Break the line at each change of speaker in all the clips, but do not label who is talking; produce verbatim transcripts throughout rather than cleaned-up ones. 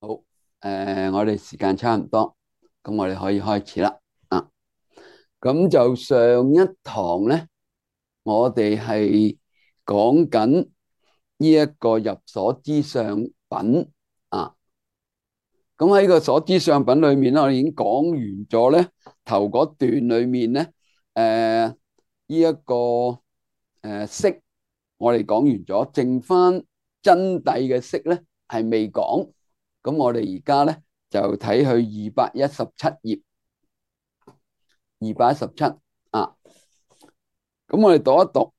好，誒、我哋時間差唔多，咁我哋可以開始啦。啊，咁就上一堂咧，我哋係講緊呢一個入所知相品啊。咁喺個所知相品裏面咧，我哋已經講完咗咧，頭嗰段裏面咧，誒呢一個誒色，我哋講完咗，剩翻真諦嘅色咧係未講。咁我哋而家咧就睇去二百一十七頁，二百一十七啊。咁我哋讀一讀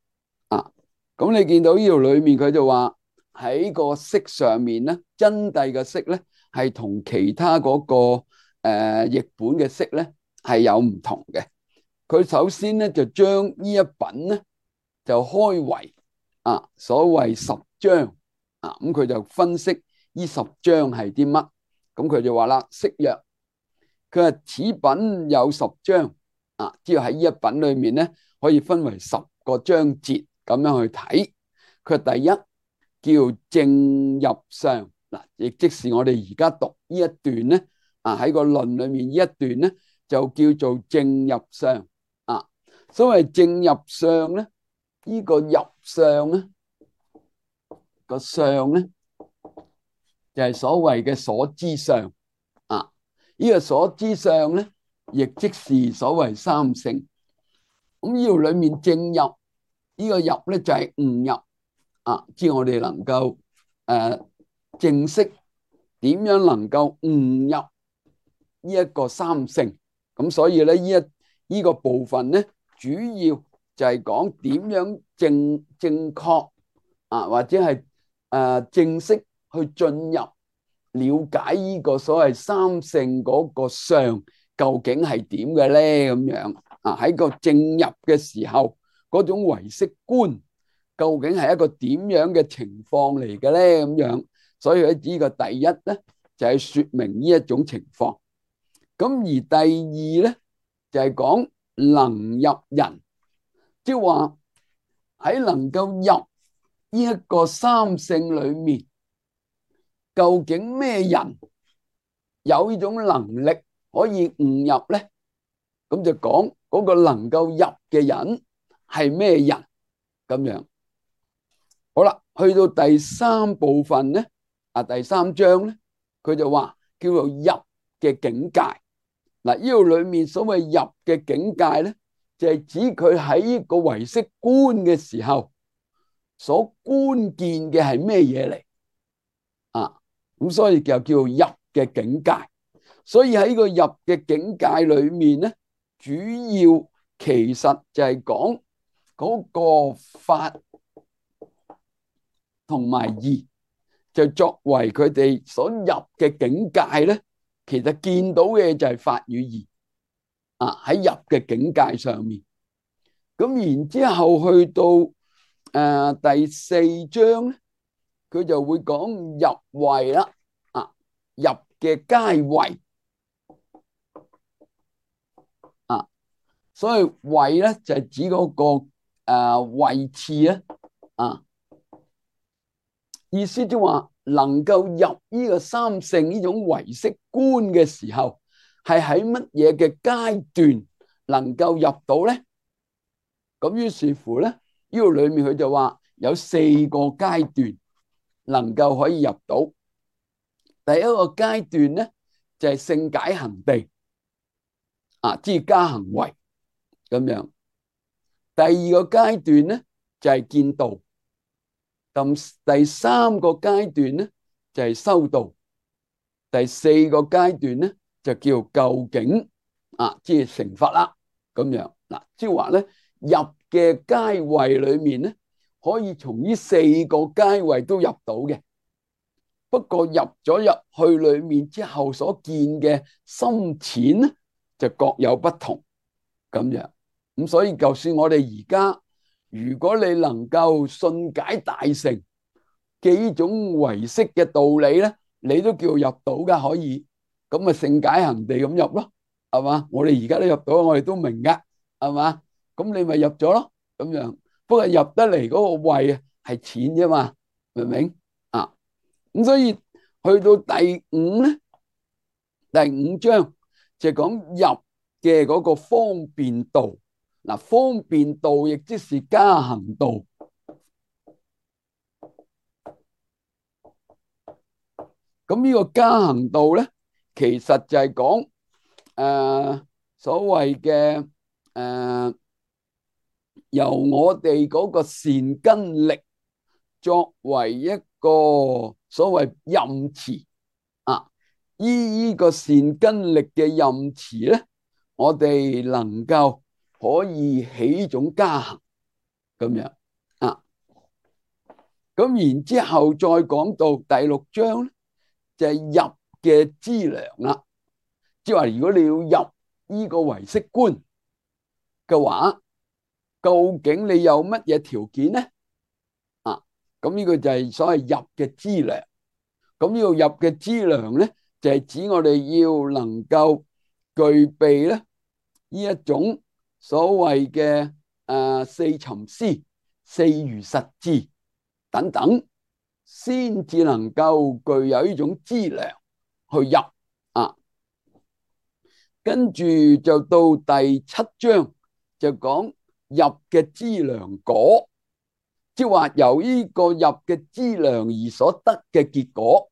啊。咁你見到呢度裏面佢就話喺個色上面咧，真諦嘅色咧係同其他嗰、那個誒、呃、譯本嘅色咧係有唔同嘅。佢首先咧就將呢一品咧就開為啊所謂十章啊。咁佢就分析呢十章係啲乜。咁佢就話啦，色曰，佢話此品有十章啊，即係喺呢一品裏面咧可以分為十個章節咁樣去睇。佢第一叫正入相嗱，亦即是我哋而家讀呢一段咧啊，喺個論裏面呢一段咧就叫做正入相啊。所謂正入相咧，呢個入相咧個相咧就係所謂嘅所知相啊。呢個所知相咧，亦即是所謂三性。咁呢度裏面正入呢個入咧就係悟入啊，即係我哋能夠誒正式點樣能夠悟入呢一個三性。咁所以咧呢一呢個部分咧，主要就係講點樣正正確啊，或者係誒正式去進入了解呢個所謂三性嗰個相究竟係點嘅咧？咁樣啊，喺個正入嘅時候，嗰種唯識觀究竟係一個點樣嘅情況嚟嘅咧？咁樣，所以喺呢個第一咧就係說明呢一種情況。咁而第二咧就係講能入人，即係話喺能夠入呢一個三性裏面，究竟咩人有呢種能力可以悟入咧？咁就講嗰個能夠入嘅人係咩人咁樣。好啦，去到第三部分咧，啊第三章咧，佢就話叫做入嘅境界。嗱，呢度裏面所謂入嘅境界咧，就係指佢喺呢個唯識觀嘅時候所觀見嘅係咩嘢嚟啊？咁所以就叫做入嘅境界。所以喺個入嘅境界裏面咧，主要其實就係講嗰個法同埋義，就作為佢哋所入嘅境界咧。其實見到嘅就係法與義啊，喺入嘅境界上面。咁然之後去到誒、呃、第四章咧，佢就會講入位啦啊，入嘅階位啊。所以位咧就係指嗰、那個誒、呃、位次咧啊，意思即係話能夠入呢個三性呢種唯識觀嘅時候，係喺乜嘢嘅階段能夠入到咧？咁於是乎咧，呢個裏面佢就話有四個階段能夠可以入到。第一個階段咧就係性解行地啊，即係加行位咁樣。第二個階段咧就係見道。咁第三個階段咧就係修道。第四個階段咧就叫究竟啊，即係成佛啦咁樣。嗱，即係話咧入嘅階位裏面咧，可以從呢四個階位都入到嘅。不過入咗入去裏面之後所見嘅深淺咧，就各有不同咁樣。咁所以就算我哋而家，如果你能夠信解大乘嘅呢種唯識嘅道理咧，你都叫入到噶，可以咁啊，性解行地咁入咯，係嘛？我哋而家都入到，我哋都明噶，係嘛？咁你咪入咗咯，咁樣。不過入得嚟嗰個位啊係淺啫嘛，明唔明啊？咁所以去到第五咧，第五章就講入嘅嗰個方便道。嗱，方便道亦即是加行道。咁呢個加行道咧，其實就係講誒所謂嘅誒由我哋嗰個善根力作為一個所謂任持啊，依呢個善根力嘅任持咧，我哋能夠可以起種加行咁樣啊。咁然之後再講到第六章咧，就係入嘅資糧啦。即係話，如果你要入呢個唯識觀嘅話，究竟你有乜嘢條件咧？啊，咁呢個就係所謂入嘅資糧。咁呢個入嘅資糧咧，就係指我哋要能夠具備咧呢一種所謂嘅誒四尋思、四如實智等等，先至能夠具有呢種資糧去入啊。跟住就到第七章就講入嘅資糧果，即係話由呢個入嘅資糧而所得嘅結果。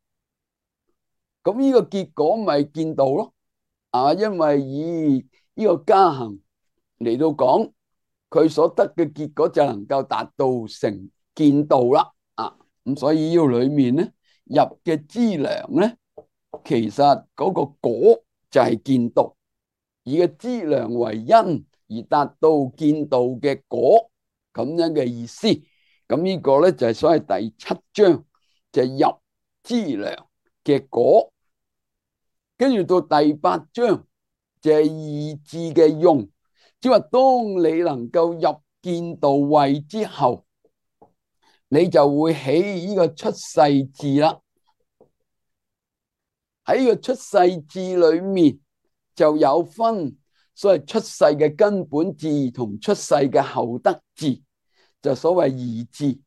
咁呢個結果咪見道咯，啊，因為以呢個加行嚟到講，佢所得嘅結果就能夠達到成見道啦，啊，咁所以呢個裏面咧入嘅資糧咧，其實嗰個果就係見道，以個資糧為因而達到見道嘅果，咁樣嘅意思。咁呢個咧就係所謂第七章就係入資糧嘅果。跟住到第八章就係二智嘅用，即係話當你能夠入見道位之後，你就會起呢個出世智啦。喺呢個出世智裏面就有分所謂出世嘅根本智同出世嘅後得智，就所謂二智。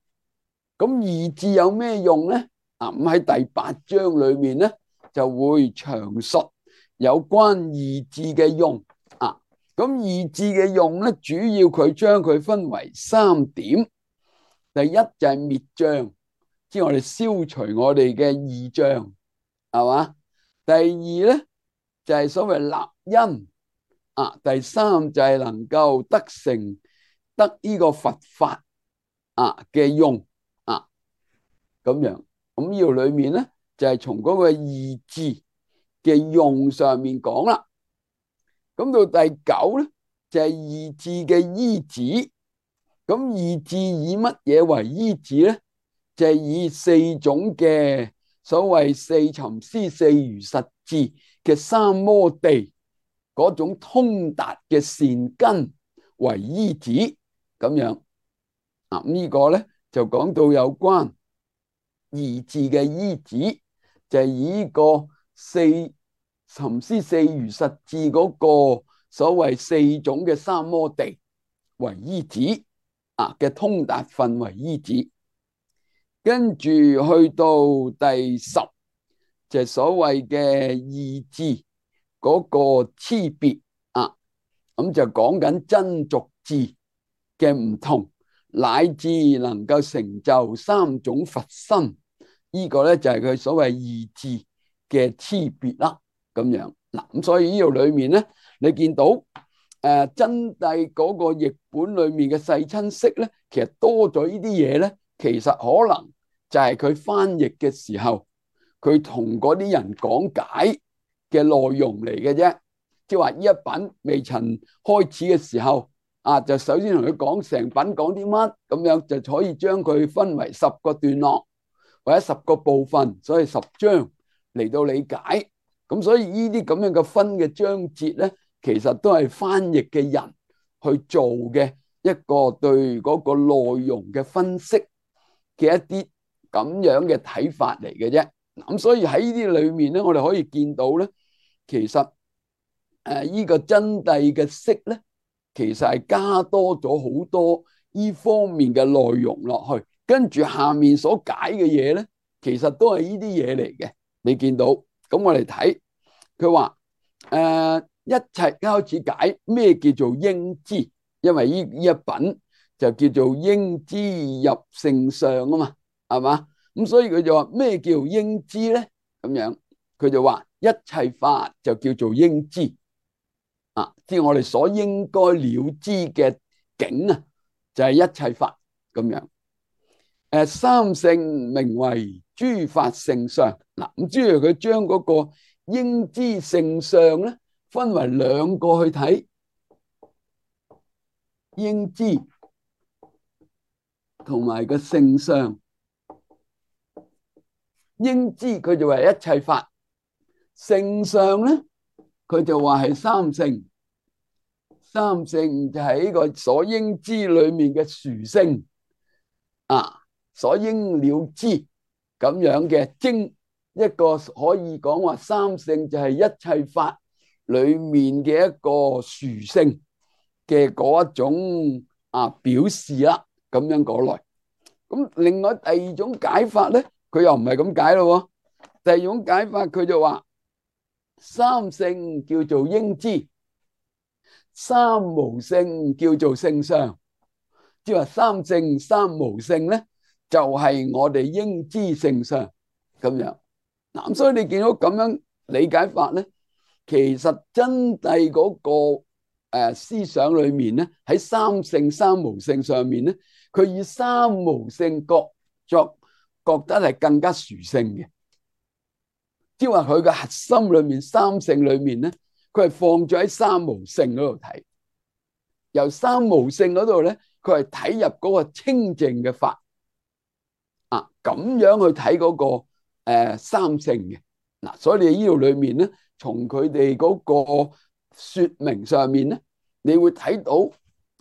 咁二智有咩用咧？啊，咁喺第八章裏面咧就會詳述有關二智嘅用啊。咁二智嘅用咧，主要佢將佢分為三點。第一就係滅障，即係我哋消除我哋嘅二障，係嘛？第二咧就係所謂立因啊。第三就係能夠得成得呢個佛法啊嘅用啊，咁樣。咁呢度裏面咧就係從嗰個二智嘅用上面講啦。咁到第九咧就係二智嘅依止。咁二智以乜嘢為依止咧？就係以四種嘅所謂四尋思、四如實智嘅三摩地嗰種通達嘅善根為依止咁樣啊。咁呢個咧就講到有關二智嘅依止，就係以呢個四尋思、四如實智嗰個所謂四種嘅三摩地為依止啊嘅通達分為依止。跟住去到第十就係所謂嘅二智嗰個差別啊，咁就講緊真俗智嘅唔同，乃至能夠成就三種佛身，呢個咧就係佢所謂二智嘅差別啦。咁樣嗱，咁所以呢度裏面咧，你見到誒、呃、真諦嗰個譯本裏面嘅世親釋咧，其實多咗呢啲嘢咧，其實可能就係佢翻譯嘅時候，佢同嗰啲人講解嘅內容嚟嘅啫。即係話呢一品未曾開始嘅時候，啊就首先同佢講成品講啲乜，咁樣就可以將佢分為十個段落或者十個部分，所以十章嚟到理解。咁所以呢啲咁樣嘅分嘅章節咧，其實都係翻譯嘅人去做嘅一個對嗰個內容嘅分析嘅一啲咁樣嘅睇法嚟嘅啫。咁所以喺呢啲裏面咧，我哋可以見到咧，其實誒呢個真諦嘅釋咧，其實係加多咗好多呢方面嘅內容落去，跟住下面所解嘅嘢咧，其實都係呢啲嘢嚟嘅。你見到咁，我哋睇佢話誒，一切開始解咩叫做應知，因為呢呢一品就叫做應知入聖相啊嘛，係嘛？咁所以佢就話咩叫應知咧？咁樣佢就話一切法就叫做應知啊，即係我哋所應該了知嘅境啊，就係一切法咁樣。誒，三性名為諸法性相。嗱，咁即係佢將嗰個應知性相咧，分為兩個去睇，應知同埋個性相。應知佢就話一切法，性相咧佢就話係三性。三性就係呢個所應知裏面嘅殊性啊，所應了知咁樣嘅精，一個可以講話三性就係一切法裏面嘅一個殊性嘅嗰一種啊表示啦，咁樣講來。咁另外第二種解法咧，佢又唔係咁解咯。第二種解法佢就話三性叫做應知，三無性叫做性相。即係話三性三無性咧，就係我哋應知性相咁樣。嗱，所以你見到咁樣理解法咧，其實真諦嗰個誒思想裏面咧，喺三性三無性上面咧，佢以三無性覺作覺得係更加殊勝嘅。即係話佢嘅核心裏面三性裏面咧，佢係放咗喺三無性嗰度睇，由三無性嗰度咧，佢係睇入嗰個清淨嘅法啊，咁樣去睇嗰個誒三性嘅。嗱，所以你呢度裏面咧，從佢哋嗰個說明上面咧，你會睇到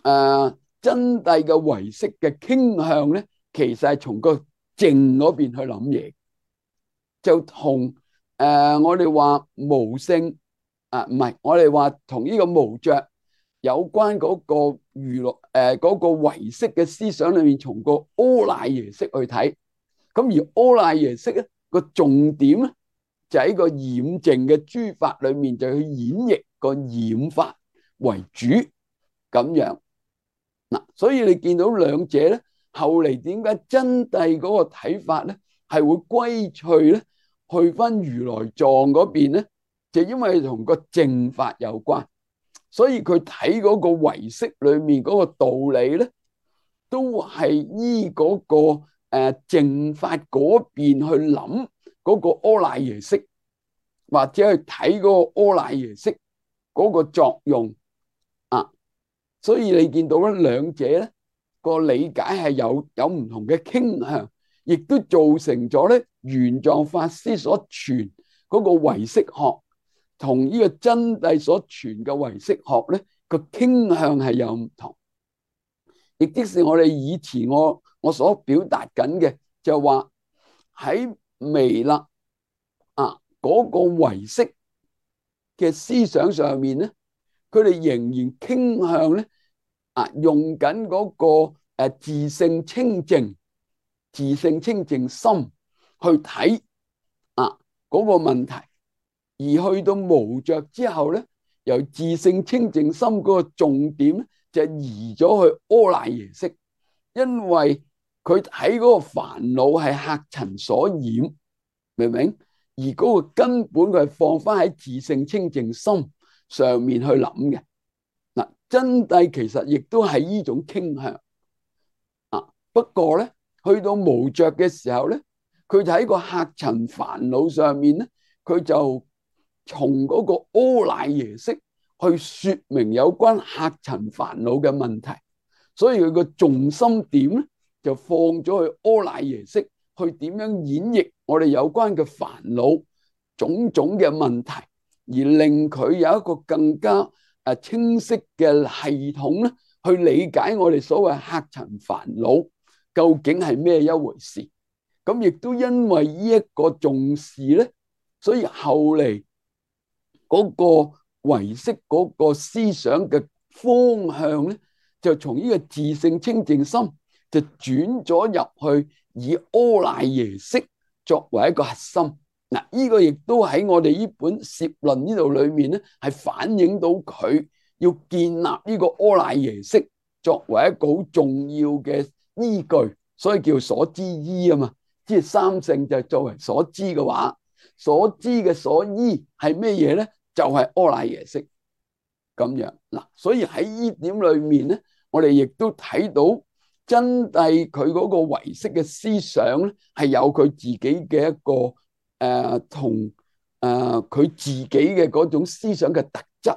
誒真諦嘅唯識嘅傾向咧，其實係從個靜嗰邊去諗嘢，就同誒我哋話無性啊，唔係我哋話同呢個無着有關嗰個娛樂誒嗰個唯識嘅思想裏面，從個阿賴耶識去睇。咁而阿賴耶識咧個重點咧，就喺個染淨嘅諸法裏面，就去演繹個染法為主咁樣。嗱，所以你見到兩者咧，後嚟點解真諦嗰個睇法咧係會歸趣咧，去翻如來藏嗰邊咧，就因為同個淨法有關，所以佢睇嗰個唯識裏面嗰個道理咧，都係依嗰個誒淨法嗰邊去諗嗰個阿賴耶識，或者去睇嗰個阿賴耶識嗰個作用啊。所以你見到咧，兩者咧個理解係有有唔同嘅傾向，亦都造成咗咧玄奘法師所傳嗰個唯識學同呢個真諦所傳嘅唯識學咧個傾向係有唔同。亦即是我哋以前我我所表達緊嘅，就話喺彌勒啊嗰個唯識嘅思想上面咧，佢哋仍然傾向咧啊用緊嗰個誒自性清淨、自性清淨心去睇啊嗰個問題，而去到無着之後咧，由自性清淨心嗰個重點咧，就移咗去阿賴耶識，因為佢喺嗰個煩惱係客塵所染，明唔明？而嗰個根本佢係放翻喺自性清淨心上面去諗嘅。嗱，真諦其實亦都係呢種傾向啊。不過咧，去到無着嘅時候咧，佢就喺個客塵煩惱上面咧，佢就從嗰個阿賴耶識去說明有關客塵煩惱嘅問題，所以佢個重心點咧就放咗去阿賴耶識，去點樣演繹我哋有關嘅煩惱種種嘅問題，而令佢有一個更加誒清晰嘅系統咧，去理解我哋所謂客塵煩惱究竟係咩一回事。咁亦都因為呢一個重視咧，所以後嚟嗰個唯識嗰個思想嘅方向咧，就從呢個自性清淨心就轉咗入去，以阿賴耶識作為一個核心嗱，呢個亦都喺我哋呢本攝論呢度裏面咧，係反映到佢要建立呢個阿賴耶識作為一個好重要嘅依據，所以叫所知依啊嘛。即係三性就作為所知嘅話，所知嘅所依係咩嘢咧？就係阿賴耶識咁樣嗱。所以喺呢點裏面咧，我哋亦都睇到真諦佢嗰個唯識嘅思想咧，係有佢自己嘅一個。誒同誒佢自己嘅嗰種思想嘅特質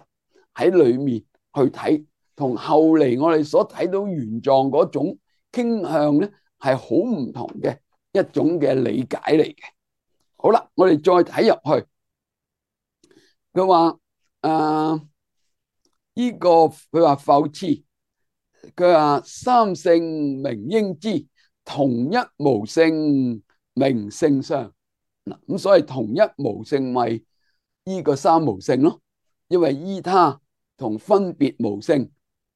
喺裏面去睇，同後嚟我哋所睇到原狀嗰種傾向咧，係好唔同嘅一種嘅理解嚟嘅。好啦，我哋再睇入去，佢話誒呢個佢話復次，佢話三性名應知，同一無性名性相。嗱，咁所以同一無性咪呢個三無性咯，因為依他同分別無性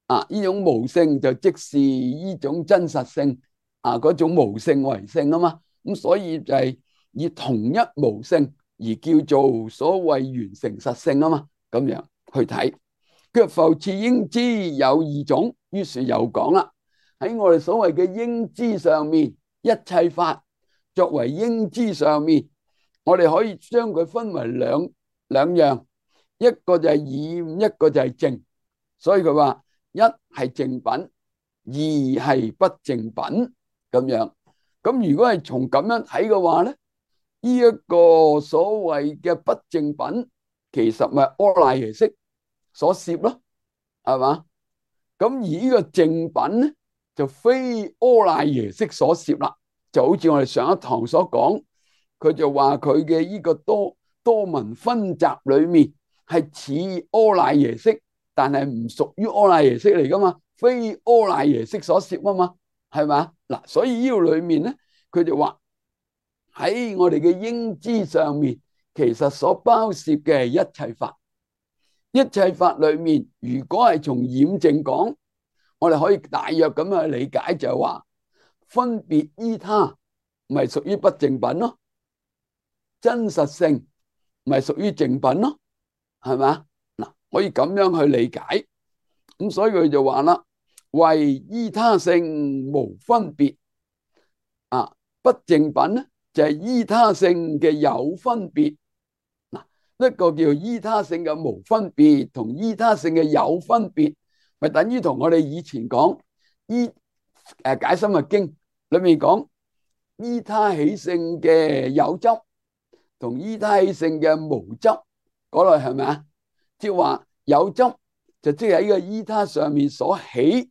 啊，呢種無性就即是呢種真實性啊，嗰種無性為性啊嘛，咁所以就係以同一無性而叫做所謂完成實性啊嘛，咁樣去睇。佢復次應知有二種，於是又講啦，喺我哋所謂嘅應知上面，一切法作為應知上面。我哋可以將佢分為兩兩樣，一個就係染，一個就係淨。所以佢話一係淨品，二係不淨品咁樣。咁如果係從咁樣睇嘅話咧，呢一個所謂嘅不淨品，其實咪阿賴耶識所攝咯，係嘛？咁而呢個淨品咧，就非阿賴耶識所攝啦。就好似我哋上一堂所講。佢就話佢嘅呢個多多聞分集裏面係似阿賴耶識，但係唔屬於阿賴耶識嚟噶嘛，非阿賴耶識所攝啊嘛，係嘛？嗱，所以呢度裏面咧，佢就話喺我哋嘅應知上面，其實所包攝嘅係一切法，一切法裏面，如果係從染淨講，我哋可以大約咁樣去理解，就係話分別依他，咪屬於不淨品咯。真實性咪屬於淨品咯，係咪？嗱，可以咁樣去理解。咁所以佢就話啦，為依他性無分別啊，不淨品咧就係依他性嘅有分別。嗱，一個叫依他性嘅無分別，同依他性嘅有分別，咪等於同我哋以前講依誒解深密經裏面講依他起性嘅有執。同依他起性嘅無執嗰類係咪啊？即係話有執就即係喺個依他上面所起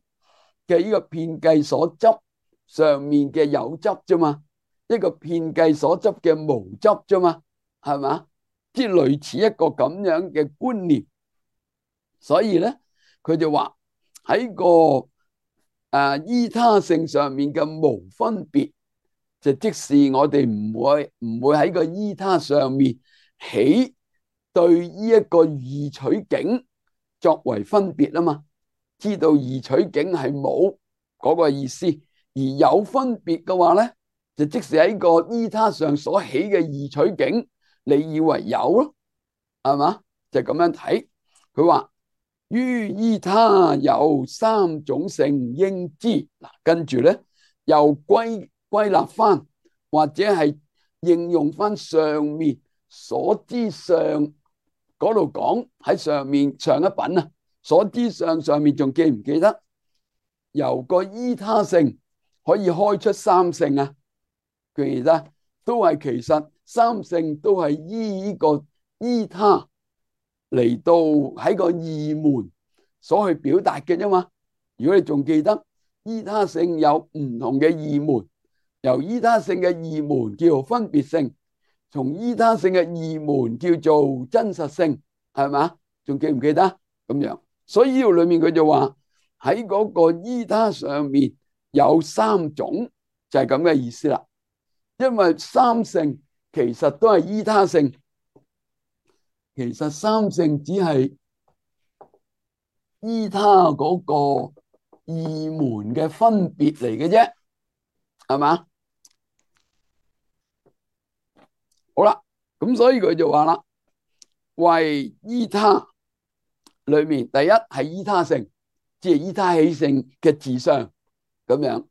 嘅呢個遍計所執上面嘅有執啫嘛，一個遍計所執嘅無執啫嘛，係咪？即係類似一個咁樣嘅觀念。所以咧，佢就話喺個誒依他性上面嘅無分別。就即使我哋唔會唔會喺個依他上面起對呢一個二取境作為分別啊嘛，知道二取境係冇嗰個意思，而有分別嘅話咧，就即使喺個依他上所起嘅二取境，你以為有咯，係嘛？就咁樣睇。佢話於依他有三種性應知，嗱，跟住咧又歸。歸納翻或者係應用翻上面所知上嗰度講，喺上面上一品啊，所知上上面仲記唔記得由個依他性可以開出三性啊？記得都係其實三性都係依呢個依他嚟到喺個二門所去表達嘅啫嘛。如果你仲記得依他性有唔同嘅二門。由依他性嘅二門叫做分別性，從依他性嘅二門叫做真實性，係嘛？仲記唔記得咁樣？所以呢度裏面佢就話喺嗰個依他上面有三種，就係咁嘅意思啦。因為三性其實都係依他性，其實三性只係依他嗰個二門嘅分別嚟嘅啫，係嘛？好啦，咁所以佢就話啦，謂依他裏面，第一係依他性，即係依他起性嘅自相咁樣。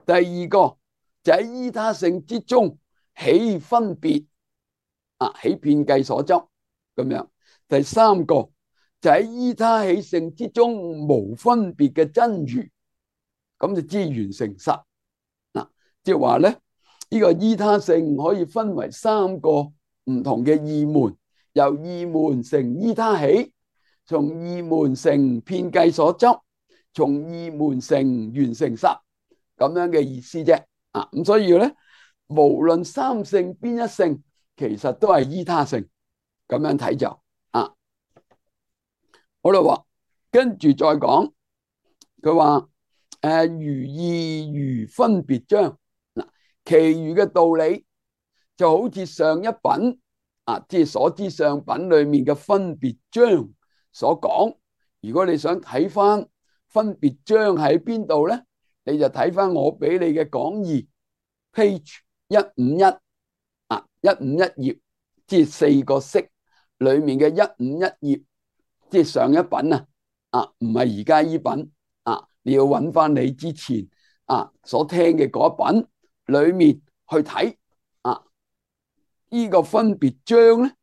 第二個就喺依他性之中起分別啊，起遍計所執咁樣。第三個就喺依他起性之中無分別嘅真如，咁就知完成實嗱。即係話咧，呢個依他性可以分為三個唔同嘅義門，由義門成依他起，從義門成遍計所執，從義門成完成實，咁樣嘅意思啫。啊，咁所以咧，無論三性邊一性，其實都係依他性，咁樣睇就啊。好啦，話跟住再講，佢話誒如義如分別章嗱，其餘嘅道理就好似上一品啊，即係所知上品裏面嘅分別章所講。如果你想睇翻分別章喺邊度咧，你就睇翻我俾你嘅講義 page 一五一啊，一五一頁，即係四個式裏面嘅一五一頁，即係上一品啊，啊唔係而家依品啊，你要揾翻你之前啊所聽嘅嗰一品裏面去睇啊，呢個分別章咧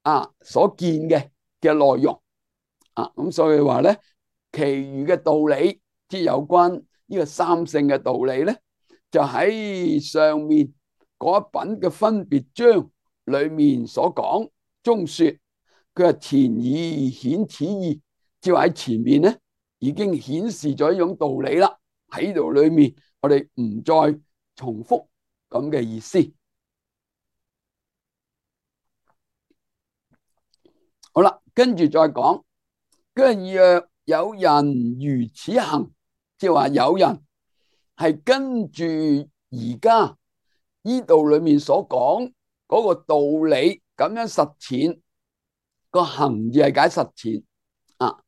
啊所見嘅嘅內容啊，咁所以話咧，其餘嘅道理，即係有關呢個三性嘅道理咧，就喺上面嗰一品嘅分別章裏面所講中說。佢話前已顯此意，即係喺前面咧已經顯示咗一種道理啦。喺度裏面我哋唔再重複咁嘅意思。好啦，跟住再講，跟住若有人如此行，即係話有人係跟住而家呢度裏面所講嗰個道理咁樣實踐。個行字係解實踐啊，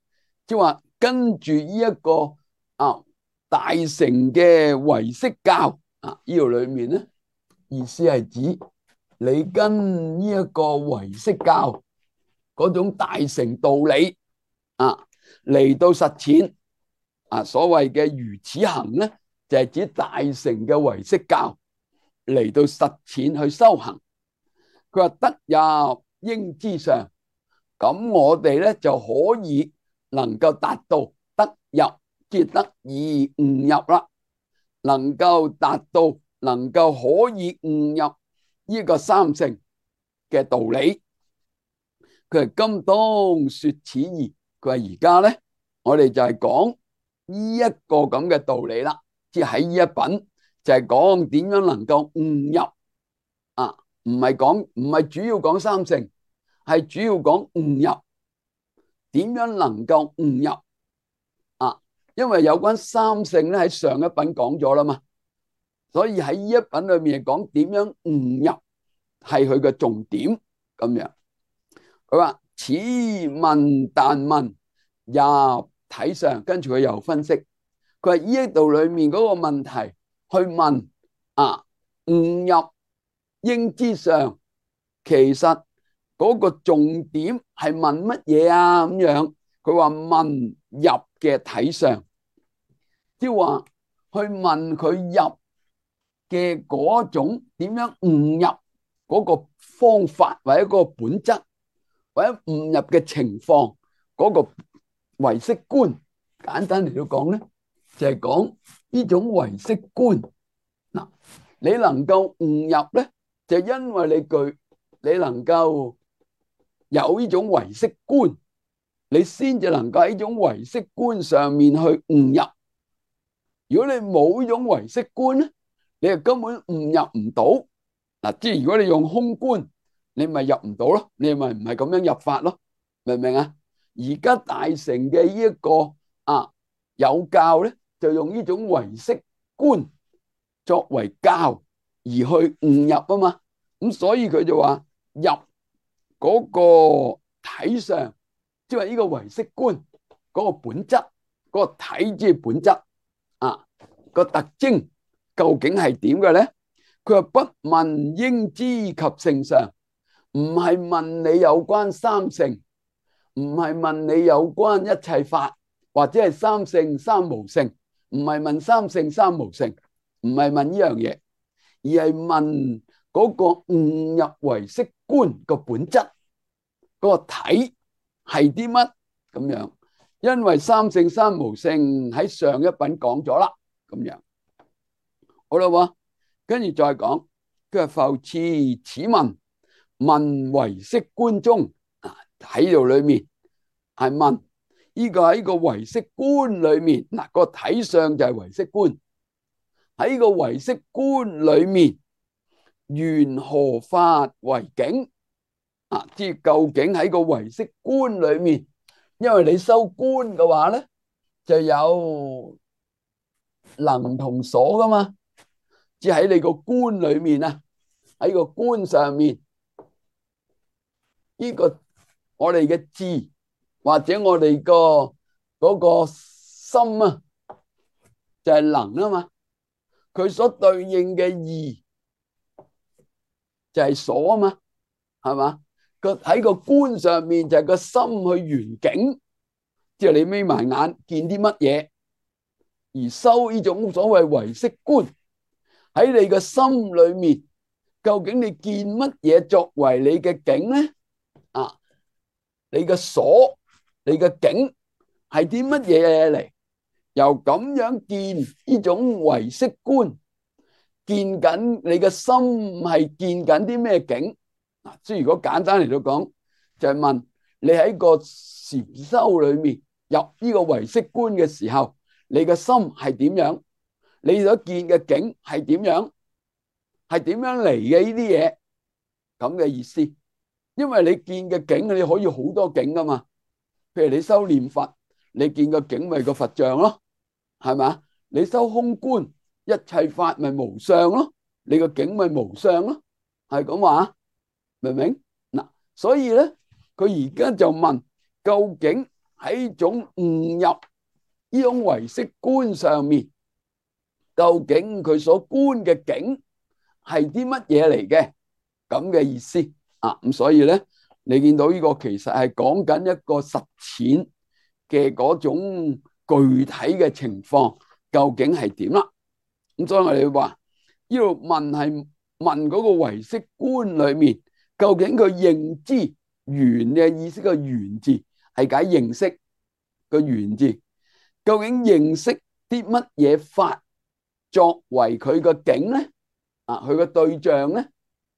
即係話跟住呢一個啊大乘嘅唯識教啊，呢度裏面咧意思係指你跟呢一個唯識教嗰種大乘道理啊嚟到實踐啊，所謂嘅如此行咧，就係指大乘嘅唯識教嚟到實踐去修行。佢話得入應知上。咁我哋咧就可以能夠達到得入，即係得以悟入啦。能夠達到，能夠可以悟入呢個三性嘅道理。佢係今當說此義。佢話而家咧，我哋就係講呢一個咁嘅道理啦。即係喺呢一品就係講點樣能夠悟入啊，唔係講唔係主要講三性。係主要講悟入，點樣能夠悟入啊？因為有關三性咧喺上一品講咗啦嘛，所以喺呢一品裏面講點樣悟入係佢嘅重點咁樣。佢話此問但問入體上，跟住佢又分析，佢話呢一度裏面嗰個問題去問啊，悟入應知上，其實嗰個重點係問乜嘢啊？咁樣佢話問入嘅體上，即係話去問佢入嘅嗰種點樣悟入嗰個方法，或者嗰個本質，或者悟入嘅情況，嗰個唯識觀。簡單嚟到講咧，就係講呢種唯識觀。嗱，你能夠悟入咧，就因為你具你能夠有呢種唯識觀，你先至能夠喺呢種唯識觀上面去悟入。如果你冇呢種唯識觀咧，你就根本悟入唔到。嗱，即係如果你用空觀，你咪入唔到咯，你咪唔係咁樣入法咯，明唔明啊？而家大乘嘅呢一個啊有教咧，就用呢種唯識觀作為教而去悟入啊嘛。咁所以佢就話入嗰個體上，即係呢個唯識觀嗰個本質，嗰個體即係本質啊，個特徵究竟係點嘅咧？佢話不問應知及性上，唔係問你有關三性，唔係問你有關一切法，或者係三性三無性，唔係問三性三無性，唔係問呢樣嘢，而係問嗰個悟入唯識觀個本質，嗰個體係啲乜咁樣。因為三性三無性喺上一品講咗啦，咁樣好啦喎，跟住再講，佢話復次此文問唯識觀中啊，喺度裏面係問呢個喺個唯識觀裏面嗱，個體相就係唯識觀，喺個唯識觀裏面緣何法為境啊？即係究竟喺個唯識觀裏面，因為你修觀嘅話咧，就有能同所噶嘛，即係喺你個觀裏面啊，喺個觀上面呢個我哋嘅智或者我哋個嗰個心啊，就係能啊嘛，佢所對應嘅義就係所啊嘛，係嘛？個喺個觀上面就係個心去緣境，即係你眯埋眼見啲乜嘢，而修呢種所謂唯識觀喺你個心裏面，究竟你見乜嘢作為你嘅境咧？啊，你嘅所，你嘅境係啲乜嘢嚟？由咁樣見呢種唯識觀，見緊你嘅心係見緊啲咩境？嗱，即係如果簡單嚟到講，就係問你喺個禪修裏面入呢個唯識觀嘅時候，你嘅心係點樣？你所見嘅境係點樣？係點樣嚟嘅呢啲嘢？咁嘅意思，因為你見嘅境你可以好多境噶嘛。譬如你修念佛，你見個境咪個佛像咯，係咪？你修空觀，一切法咪無相咯，你個境咪無相咯，係咁話，明唔明？嗱，所以咧，佢而家就問，究竟喺種悟入呢種唯識觀上面，究竟佢所觀嘅境係啲乜嘢嚟嘅？咁嘅意思啊，咁所以咧，你見到呢個其實係講緊一個實踐嘅嗰種具體嘅情況，究竟係點啦？咁所以我哋話呢度問係問嗰個唯識觀裏面，究竟佢認知緣嘅意思，個緣字係解認識個緣字，究竟認識啲乜嘢法作為佢個境咧？啊，佢個對象咧？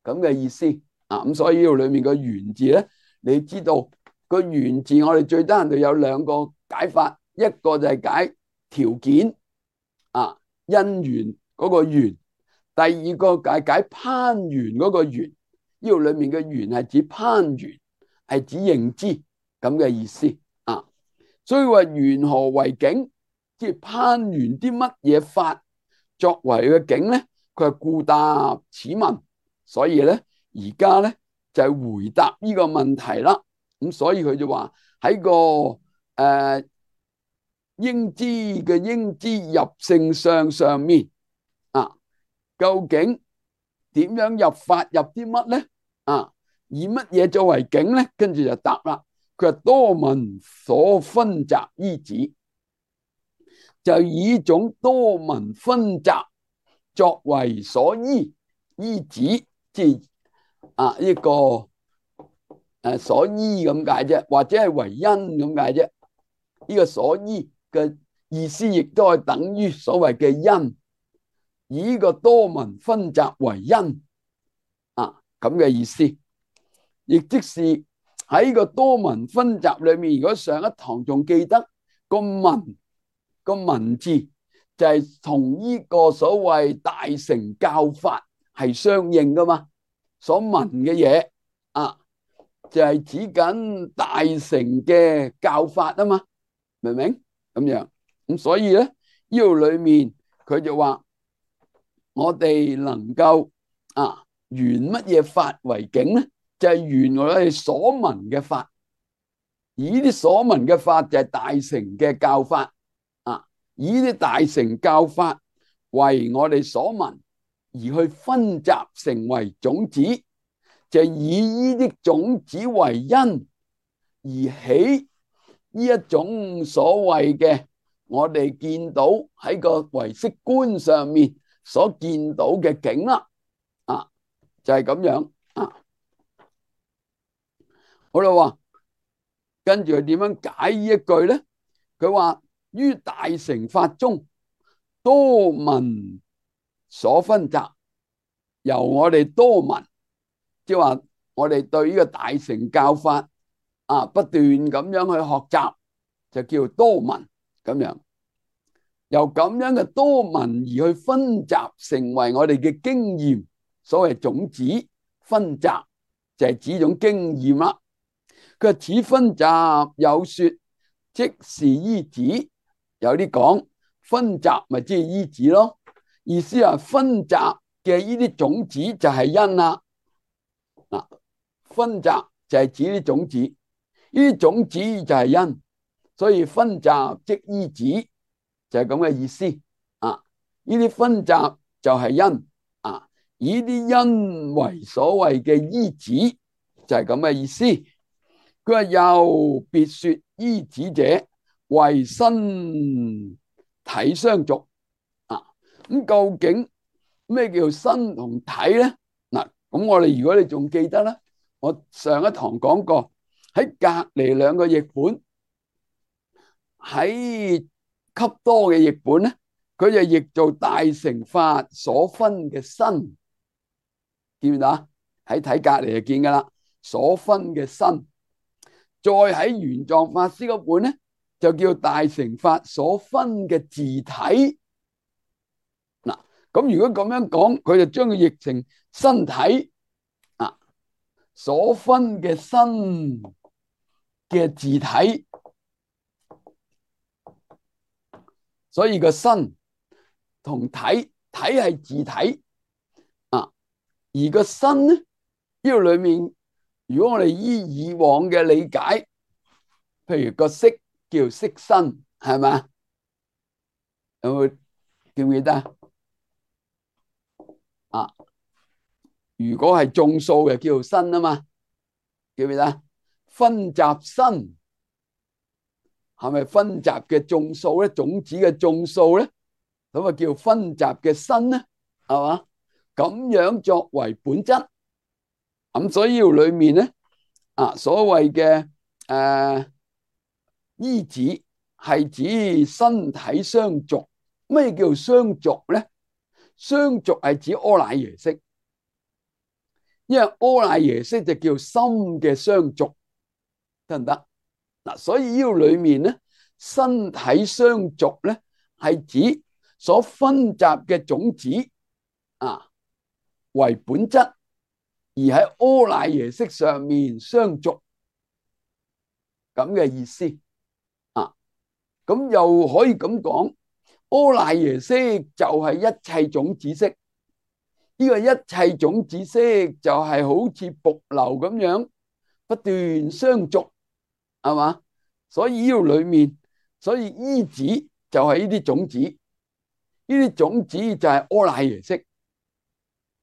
咁嘅意思啊，咁所以呢度裏面個緣字咧，你知道個緣字我哋最低限度有兩個解法，一個就係解條件啊，因緣嗰個緣，第二個解解攀緣嗰個緣。呢度裏面嘅緣係指攀緣，係指認知咁嘅意思啊。所以話緣何為境，即係攀緣啲乜嘢法作為嘅境咧？佢係故答此問，所以咧而家咧就係、是、回答呢個問題啦。咁所以佢就話喺個誒、呃、應知嘅應知入性相上面啊，究竟點樣入法入啲乜咧？啊，以乜嘢作為境咧？跟住就答啦。佢話多聞所分集依止，就以種多聞分集作為所依依止，即係啊呢個誒所依咁解啫，或者係為因咁解啫。呢個所依嘅意思亦都係等於所謂嘅因，以呢個多聞分集為因啊咁嘅意思。亦即是喺個多聞分集裏面，如果上一堂仲記得個聞個聞字就係同呢個所謂大乘教法係相應噶嘛，所聞嘅嘢啊就係指緊大乘嘅教法啊嘛，明唔明？咁樣咁所以咧呢度裏面佢就話我哋能夠啊緣乜嘢法為境咧？就係緣我哋所聞嘅法，而呢啲所聞嘅法就係大乘嘅教法啊，以呢啲大乘教法為我哋所聞，而去分集成為種子，即就以呢啲種子為因而起呢一種所謂嘅我哋見到喺個唯識觀上面所見到嘅景啦。啊，就係咁樣啊。好啦，話跟住佢點樣解呢一句咧？佢話於大乘法中，多聞所分集，由我哋多聞，即係話我哋對呢個大乘教法啊，不斷咁樣去學習，就叫多聞咁樣。由咁樣嘅多聞而去分集，成為我哋嘅經驗。所謂種子分集，就係指種經驗啦。佢話此分集有說，即是依止。有啲講分集咪即係依止咯，意思係分集嘅呢啲種子就係因啦。嗱，分集就係指啲種子，呢啲種子就係因，所以分集即依止就係咁嘅意思啊。呢啲分集就係因啊，以啲因為所謂嘅依止就係咁嘅意思。佢話又別說依止者為身體相續啊。咁究竟咩叫身同體咧？嗱，咁我哋如果你仲記得咧，我上一堂講過，喺隔籬兩個譯本，喺笈多嘅譯本咧，佢就譯做大乘法所分嘅身，見唔見到？喺睇隔籬就見噶啦，所分嘅身。再喺玄奘法師嗰本咧，就叫大乘法所分嘅自體。嗱，咁如果咁樣講，佢就將佢譯成身體啊，所分嘅身嘅自體。所以個身同體，體係自體啊，而個身咧，呢度裏面，如果我哋依以往嘅理解，譬如個色叫色身，係咪？有冇記唔記得啊？如果係眾數嘅叫做身啊嘛，記唔記得？分集身係咪分集嘅眾數咧？種子嘅眾數咧，咁啊叫分集嘅身咧，係嘛？咁樣作為本質，咁所以呢度裏面咧，啊所謂嘅誒依止係指身體相續。咩叫相續咧？相續係指阿賴耶識，因為阿賴耶識就叫心嘅相續，得唔得？嗱，所以呢度裏面咧，身體相續咧係指所分集嘅種子啊為本質，而喺阿賴耶識上面相續，咁嘅意思啊。咁又可以咁講，阿賴耶識就係一切種子識，呢個一切種子識就係好似瀑流咁樣不斷相續，係嘛？所以呢度裏面，所以依止就係呢啲種子，呢啲種子就係阿賴耶識，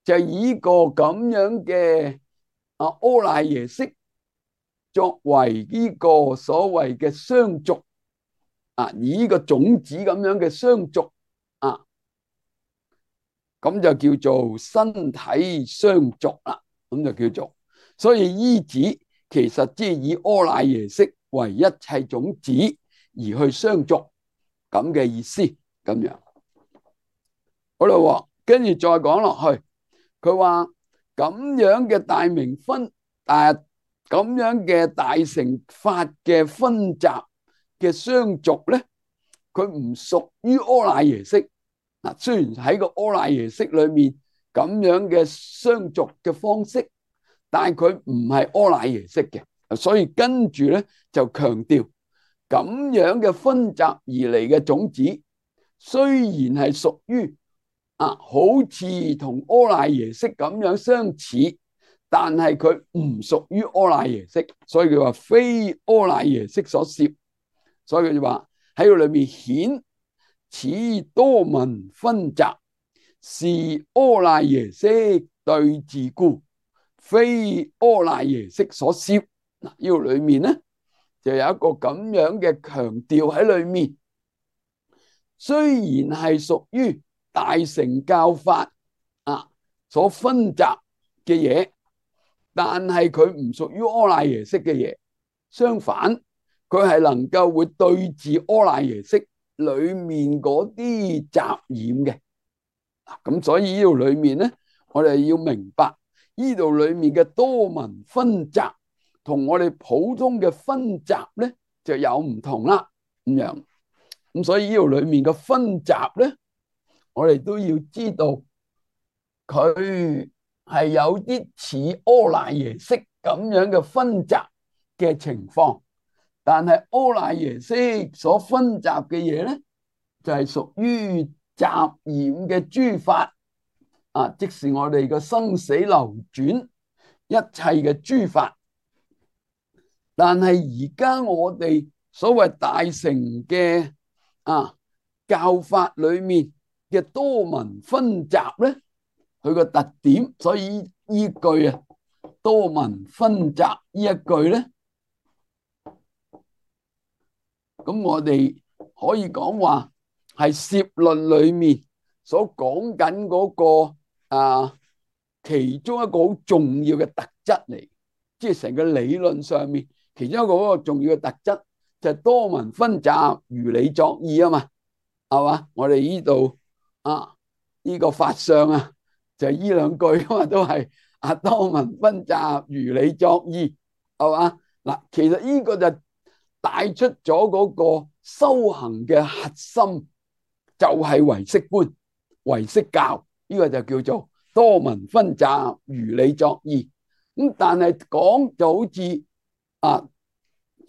就係以個咁樣嘅啊阿賴耶識作為呢個所謂嘅相續啊，以呢個種子咁樣嘅相續啊，咁就叫做身體相續啦，咁就叫做。所以依止其實即係以阿賴耶識為一切種子而去相續，咁嘅意思咁樣。好啦，跟住再講落去，佢話咁樣嘅大名分，誒咁樣嘅大乘法嘅分集嘅相續咧，佢唔屬於阿賴耶識。嗱，雖然喺個阿賴耶識裏面咁樣嘅相續嘅方式，但係佢唔係阿賴耶識嘅，所以跟住咧就強調咁樣嘅分集而嚟嘅種子，雖然係屬於啊，好似同阿賴耶識咁樣相似，但係佢唔屬於阿賴耶識，所以佢話非阿賴耶識所攝，所以佢就話喺個裏面顯此多聞分集是阿賴耶識對治故，非阿賴耶識所攝。嗱，呢度裏面咧就有一個咁樣嘅強調喺裏面。雖然係屬於大乘教法啊所分集嘅嘢，但係佢唔屬於阿賴耶識嘅嘢。相反，佢係能夠會對治阿賴耶識裏面嗰啲雜染嘅。咁所以呢度裏面咧，我哋要明白呢度裏面嘅多聞分集同我哋普通嘅分集咧就有唔同啦。咁樣咁所以呢度裏面嘅分集咧，我哋都要知道佢係有啲似阿賴耶識咁樣嘅分集嘅情況，但係阿賴耶識所分集嘅嘢咧，就係屬於雜染嘅諸法啊，即是我哋嘅生死流轉一切嘅諸法。但係而家我哋所謂大乘嘅啊教法裏面嘅多聞分集咧，佢個特點，所以依句啊多聞分集呢一句咧，咁我哋可以講話係攝論裏面所講緊嗰個啊其中一個好重要嘅特質嚟，即係成個理論上面其中一個嗰個重要嘅特質就係多聞分集如理作意啊嘛，係嘛？我哋呢度啊呢個法相啊就係呢兩句啊嘛，都係啊多聞分集如理作意，係嘛？嗱，其實呢個就帶出咗嗰個修行嘅核心，就係唯識觀、唯識教，呢個就叫做多聞分集如理作意。咁但係講就好似啊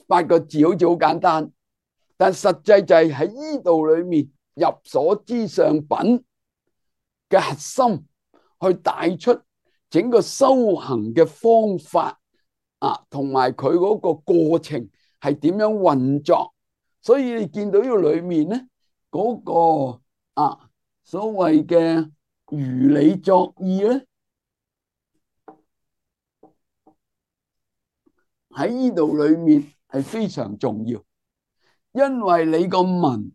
八個字好似好簡單，但實際就係喺呢度裏面入所知相品嘅核心，去帶出整個修行嘅方法啊，同埋佢嗰個過程係點樣運作。所以你見到呢個裏面咧，嗰個啊所謂嘅如理作意咧，喺呢度裏面係非常重要，因為你個文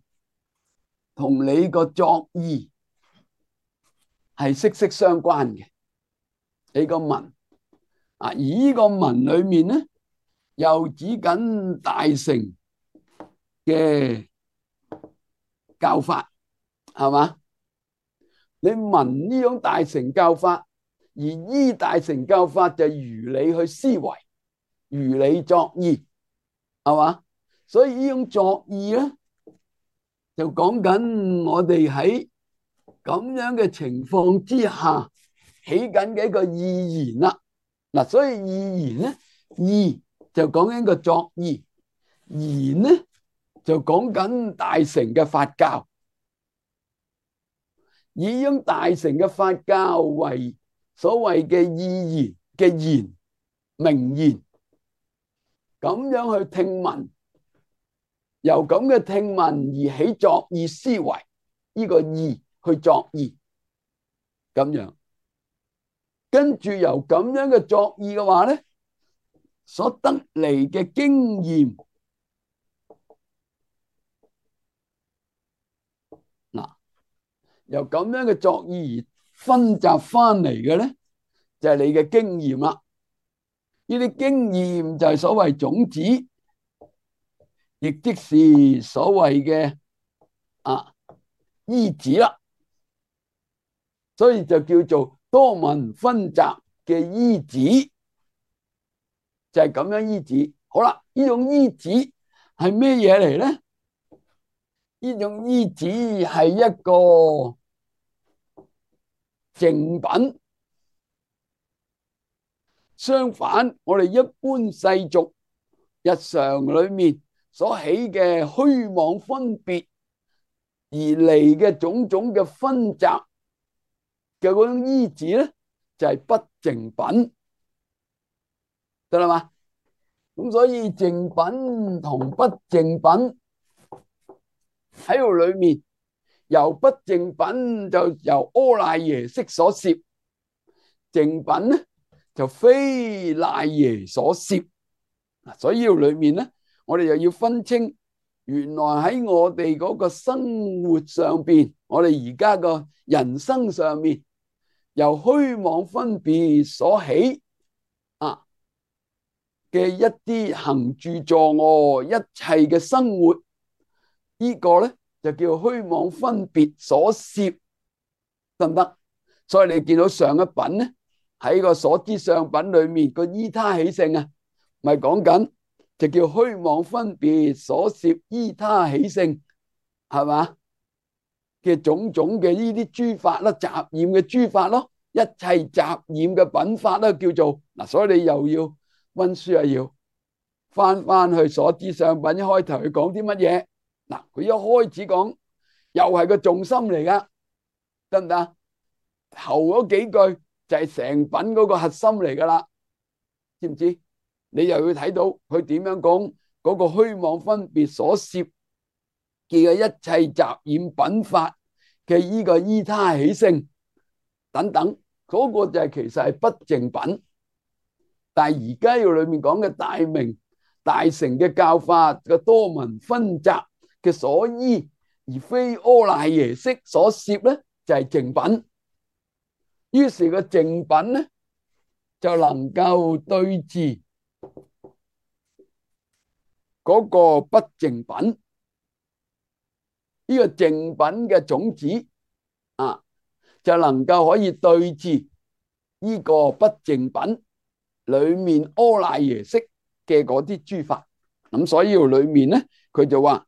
同你個作意係息息相關嘅。你個文啊，而呢個文裏面咧，又指緊大乘嘅教法，係嘛？你聞呢種大乘教法，而依大乘教法就如理去思維，如理作意，係嘛？所以呢種作意咧，就講緊我哋喺咁樣嘅情況之下起緊嘅一個意言啦。嗱，所以意言咧，意就講緊個作意，言咧就講緊大乘嘅法教，以呢種大乘嘅法教為所謂嘅意言嘅言名言，咁樣去聽聞，由咁嘅聽聞而起作意思維，呢個意去作意，咁樣跟住由咁樣嘅作意嘅話咧，所得嚟嘅經驗，嗱，由咁樣嘅作意而分集翻嚟嘅咧，就係你嘅經驗啦。呢啲經驗就係所謂種子，亦即是所謂嘅啊依止啦。所以就叫做多聞分集嘅依止，就係咁樣依止。好啦，呢種依止係咩嘢嚟咧？呢種依止係一個淨品。相反，我哋一般世俗日常裏面所起嘅虛妄分別而嚟嘅種種嘅分集嘅嗰種依止咧，就係不淨品，得啦嘛？咁所以淨品同不淨品喺度裏面，由不淨品就由阿賴耶識所攝，淨品咧就非賴耶所攝。所以裏面咧，我哋又要分清，原來喺我哋嗰個生活上邊，我哋而家個人生上面，由虛妄分別所起啊嘅一啲行住坐臥一切嘅生活，呢個咧就叫虛妄分別所攝，得唔得？所以你見到上一品咧，喺個所知相品裏面個依他起性啊，咪講緊就叫虛妄分別所攝依他起性，係嘛嘅種種嘅呢啲諸法啦，雜染嘅諸法咯，一切雜染嘅品法啦，叫做嗱。所以你又要溫書啊，要翻翻去所知相品一開頭佢講啲乜嘢嗱？佢一開始講又係個重心嚟噶，得唔得？頭嗰幾句就係成品嗰個核心嚟噶啦，知唔知？你又要睇到佢點樣講嗰個虛妄分別所攝嘅一切雜染品法嘅依個依他起性等等，嗰個就係其實係不淨品。但係而家要裏面講嘅大明大乘嘅教法嘅多聞分集嘅所依，而非阿賴耶識所攝咧，就係淨品。於是個淨品咧就能夠對治嗰個不淨品。呢個淨品嘅種子啊，就能夠可以對治呢個不淨品裏面阿賴耶識嘅嗰啲諸法。咁所以裏面咧，佢就話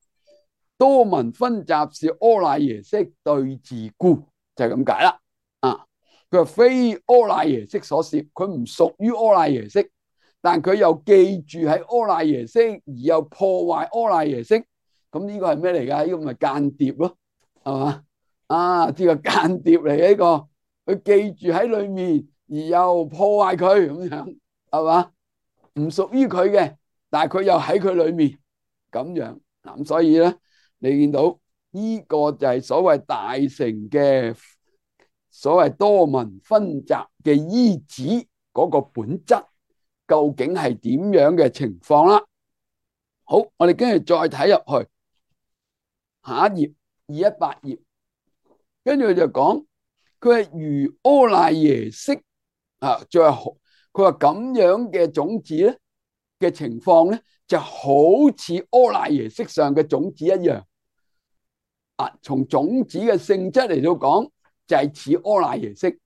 多聞分集是阿賴耶識對治故，就係咁解啦。啊，佢話非阿賴耶識所攝，佢唔屬於阿賴耶識，但佢又記住喺阿賴耶識，而又破壞阿賴耶識。咁呢個係咩嚟噶？呢個咪間諜咯，係嘛？啊，呢個間諜嚟嘅呢個，佢記住喺裏面，而又破壞佢咁樣，係嘛？唔屬於佢嘅，但係佢又喺佢裏面咁樣。咁所以咧，你見到呢個就係所謂大乘嘅所謂多聞分集嘅依止嗰個本質，究竟係點樣嘅情況啦？好，我哋跟住再睇入去。下一頁二一八頁，跟住佢就講，佢係如阿賴耶識啊，再佢話咁樣嘅種子咧嘅情況咧，就好似阿賴耶識上嘅種子一樣啊。從種子嘅性質嚟到講，就係似阿賴耶識，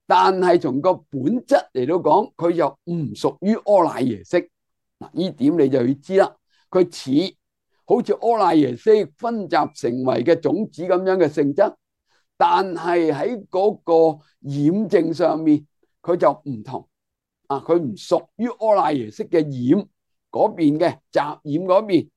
但係從個本質嚟到講，佢又唔屬於阿賴耶識。嗱，呢點你就要知啦，佢似。好似阿賴耶識分集成為嘅種子咁樣嘅性質，但係喺嗰個染淨上面，佢就唔同啊！佢唔屬於阿賴耶識嘅染嗰邊嘅雜染嗰邊。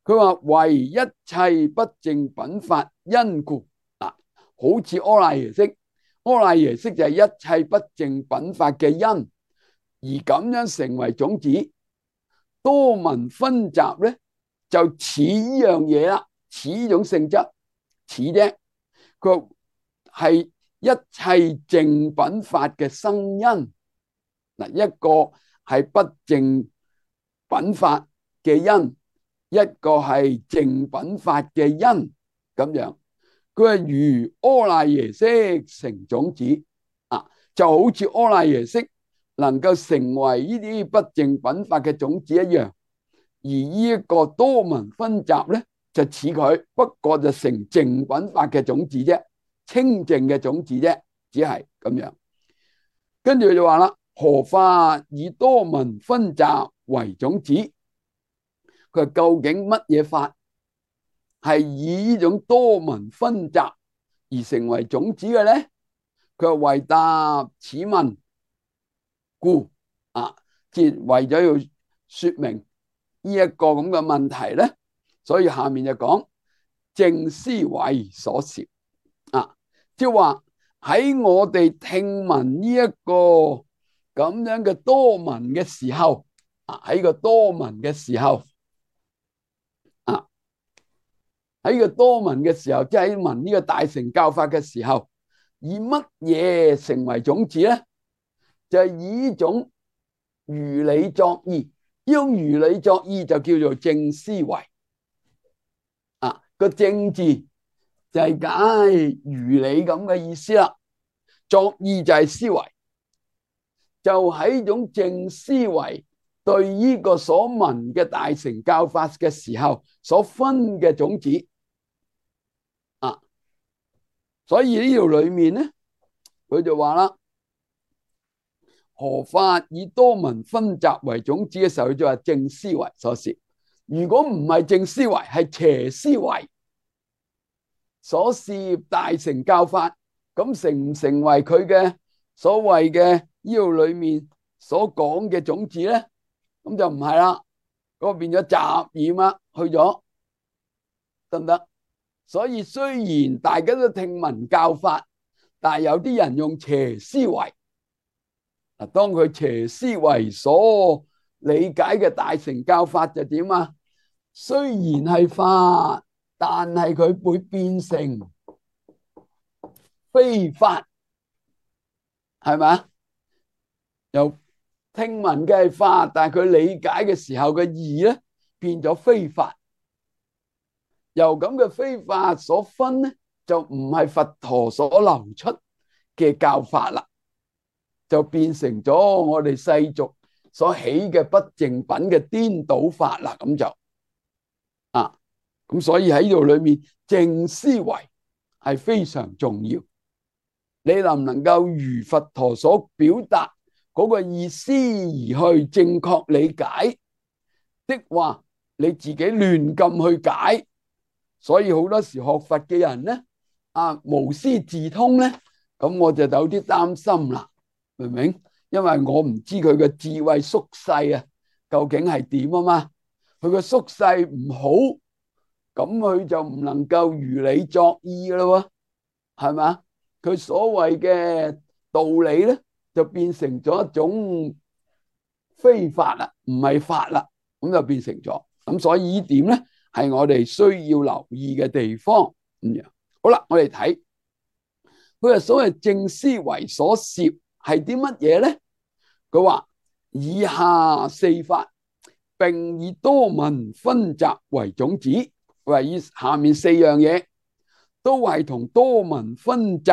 佢話為一切不淨品法因故啊，好似阿賴耶識，阿賴耶識就係一切不淨品法嘅因，而咁樣成為種子。多聞分集咧，就似呢樣嘢啦，似呢種性質，似啫。佢係一切淨品法嘅生因。嗱，一個係不淨品法嘅因，一個係淨品法嘅因，咁樣。佢係如阿賴耶識成種子啊，就好似阿賴耶識能夠成為呢啲不淨品法嘅種子一樣。而呢一個多聞分集咧，就似佢，不過就成淨品法嘅種子啫，清淨嘅種子啫，只係咁樣。跟住佢就話啦，何法以多聞分集為種子？佢話究竟乜嘢法係以呢種多聞分集而成為種子嘅咧？佢話為答此問故啊，即係為咗要說明呢一個咁嘅問題咧，所以下面就講正思維所攝啊，即係話喺我哋聽聞呢一個咁樣嘅多聞嘅時候啊，喺個多聞嘅時候啊，喺個多聞嘅時候，即係喺聞呢個大乘教法嘅時候，以乜嘢成為種子咧？就係以呢種如理作意，呢種如理作意就叫做正思維啊。個正字就係解如理咁嘅意思啦，作意就係思維，就喺呢種正思維對呢個所聞嘅大乘教法嘅時候所分嘅種子啊。所以呢條裏面咧，佢就話啦，何法以多聞分集為種子嘅時候，佢就話正思維所攝。如果唔係正思維，係邪思維所攝大乘教法，咁成唔成為佢嘅所謂嘅呢度裏面所講嘅種子咧？咁就唔係啦，嗰個變咗雜染啦，去咗得唔得？所以雖然大家都聽聞教法，但係有啲人用邪思維。嗱，當佢邪思維所理解嘅大乘教法就點啊？雖然係法，但係佢會變成非法，係咪？又聽聞嘅係法，但係佢理解嘅時候嘅義咧變咗非法。由咁嘅非法所分咧，就唔係佛陀所流出嘅教法啦，就變成咗我哋世俗所起嘅不淨品嘅顛倒法啦。咁就啊，咁所以喺呢度裏面正思維係非常重要。你能唔能夠如佛陀所表達嗰個意思而去正確理解的話，你自己亂咁去解。所以好多時學佛嘅人咧，啊無師自通咧，咁我就有啲擔心啦，明唔明？因為我唔知佢嘅智慧縮細啊，究竟係點啊嘛？佢嘅縮細唔好，咁佢就唔能夠如理作意噶咯，係嘛？佢所謂嘅道理咧，就變成咗一種非法啦，唔係法啦，咁就變成咗。咁所以呢點咧，係我哋需要留意嘅地方。咁樣好啦，我哋睇佢係所謂正思維所攝係啲乜嘢咧？佢話以下四法，並以多聞分集為種子。佢話以下面四樣嘢都係同多聞分集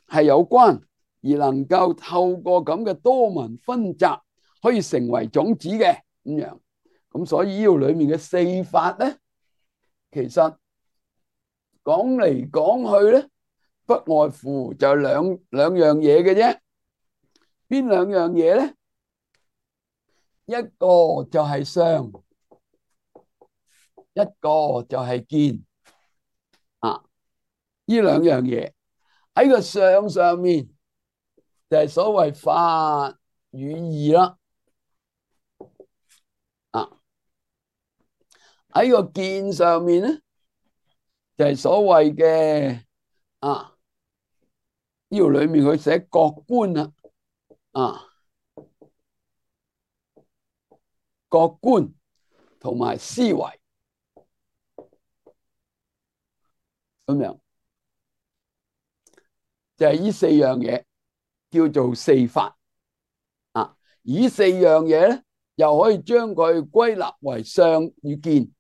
係有關，而能夠透過咁嘅多聞分集可以成為種子嘅咁樣。咁所以呢度裏面嘅四法咧，其實講嚟講去咧，不外乎就兩兩樣嘢嘅啫。邊兩樣嘢咧？一個就係相，一個就係見啊。呢兩樣嘢喺個相上面就係所謂法與義啦。啊，喺個見上面咧就係所謂嘅啊，呢度裏面佢寫覺觀啦。啊，覺觀同埋思維咁樣，就係呢四樣嘢叫做四法啊。呢四樣嘢咧，又可以將佢歸納為相與見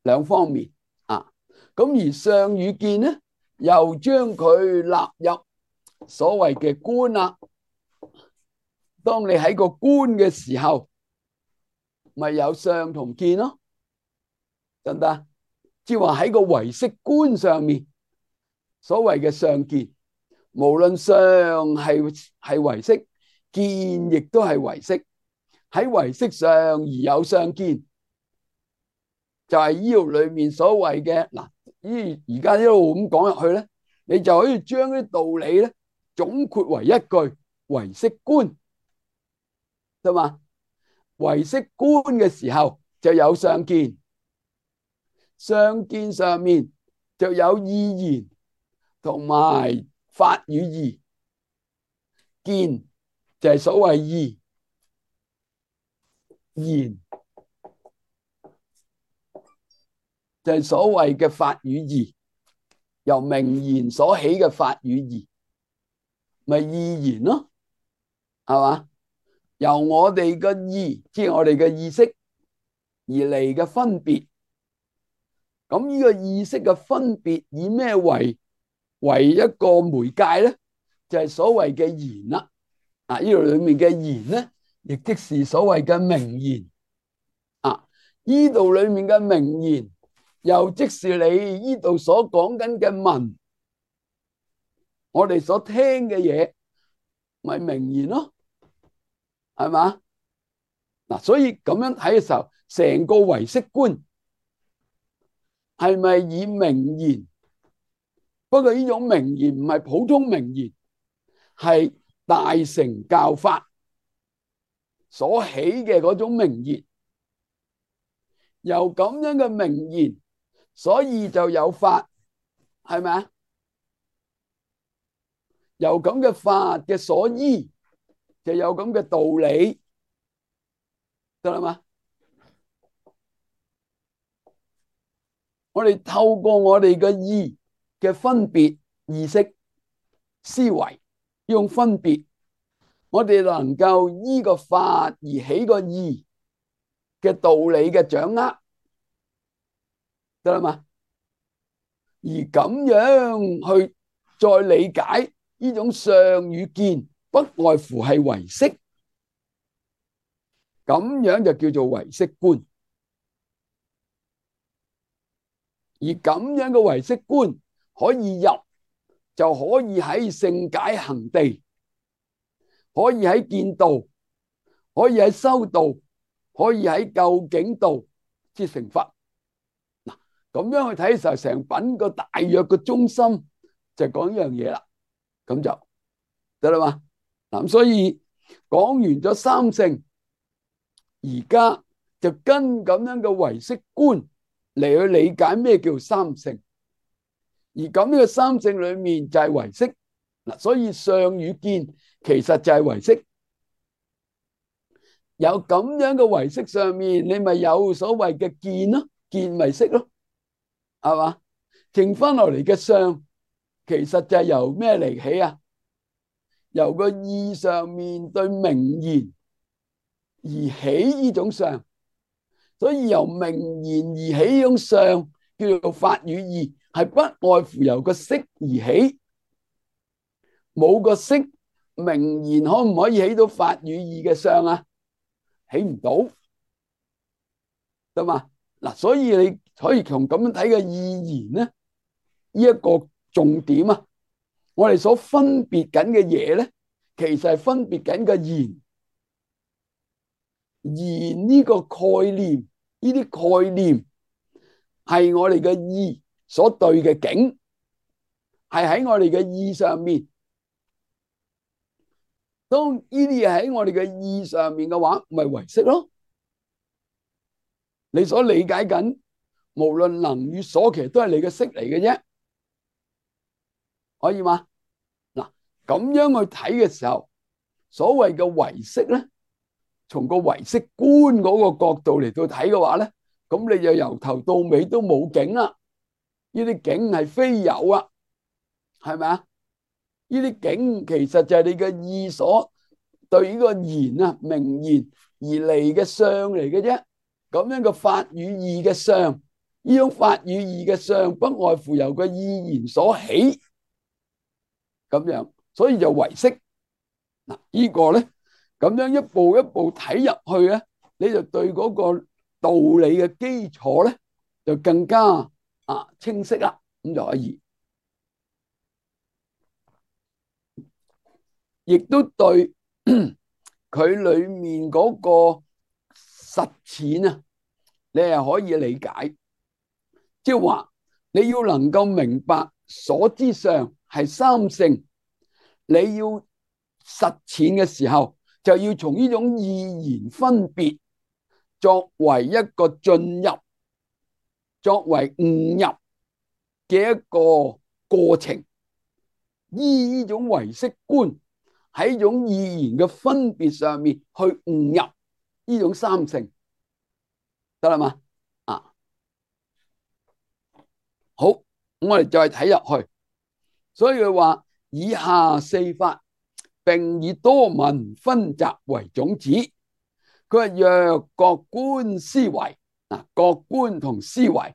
兩方面啊。咁而相與見咧，又將佢納入所謂嘅觀啦。當你喺個觀嘅時候，咪有相同見咯，得唔得？即係話喺個唯識觀上面，所謂嘅相見，無論相係係唯識，見亦都係唯識。喺唯識上而有相見，就係呢度裏面所謂嘅嗱。依而家一路咁講入去咧，你就可以將啲道理咧總括為一句唯識觀，得嘛？唯識觀嘅時候就有相見，相見上面就有意言同埋法與義，見就係所謂義，言就係所謂嘅法與義，由名言所起嘅法與義，咪義言咯。係嘛？由我哋嘅意，即係我哋嘅意識而嚟嘅分別。咁呢個意識嘅分別以咩為為一個媒介咧？就係所謂嘅言啦。啊，呢度裏面嘅言咧，亦即是所謂嘅名言。啊，呢度裏面嘅名言，又即是你呢度所講緊嘅文，我哋所聽嘅嘢，咪名言咯，係嘛？嗱，所以咁樣睇嘅時候，成個唯識觀係咪以名言？不過呢種名言唔係普通名言，係大乘教法所起嘅嗰種名言。由咁樣嘅名言，所以就有法，係咪啊？由咁嘅法嘅所依，就有咁嘅道理，得啦嘛？我哋透過我哋嘅意嘅分別意識思維，用分別，我哋能夠依個法而起個意嘅道理嘅掌握，得啦嘛？而咁樣去再理解呢種相與見，不外乎係唯識，咁樣就叫做唯識觀。而咁樣嘅唯識觀可以入，就可以喺聖解行地，可以喺見道，可以喺修道，可以喺究竟道之成佛。嗱，咁樣去睇嘅時候，成品個大約嘅中心就講呢樣嘢啦，咁就得啦嘛。嗱，所以講完咗三性，而家就跟咁樣嘅唯識觀嚟去理解咩叫三性。而咁呢個三性裏面就係唯識嗱，所以相與見其實就係唯識。有咁樣嘅唯識上面，你咪有所謂嘅見咯，見咪識咯，係嘛？剩翻落嚟嘅相，其實就係由咩嚟起啊？由個意上面對名言而起呢種相，所以由名言而起呢種相叫做法與義，係不外乎由個識而起。冇個識，名言可唔可以起到法與義嘅相啊？起唔到，得嘛？嗱，所以你可以從咁樣睇嘅意言咧，呢一個重點啊，我哋所分別緊嘅嘢咧，其實係分別緊個言。言呢個概念，呢啲概念係我哋嘅意所對嘅境，係喺我哋嘅意上面。當呢啲嘢喺我哋嘅意上面嘅話，咪唯識咯。你所理解緊，無論能與所，其實都係你嘅識嚟嘅啫，可以嗎？嗱，咁樣去睇嘅時候，所謂嘅唯識咧，從個唯識觀嗰個角度嚟到睇嘅話咧，咁你就由頭到尾都冇境啦。呢啲境係非有啊，係咪啊？呢啲境其實就係你嘅意所對呢個言啊名言而嚟嘅相嚟嘅啫。咁樣嘅法與義嘅相，呢種法與義嘅相不外乎由個意言所起，咁樣，所以就唯識。嗱，呢個咧咁樣一步一步睇入去咧，你就對嗰個道理嘅基礎咧就更加啊清晰啦，咁就可以，亦都對佢裏面嗰個實踐啊，你係可以理解，即係話你要能夠明白所知相係三性，你要實踐嘅時候，就要從呢種意言分別作為一個進入，作為悟入嘅一個過程，依呢種唯識觀喺呢種意言嘅分別上面去悟入呢種三性，得啦嘛？啊，好，我哋再睇入去，所以佢話以下四法並以多聞分集為種子。佢話若各觀思維，嗱，各觀同思維，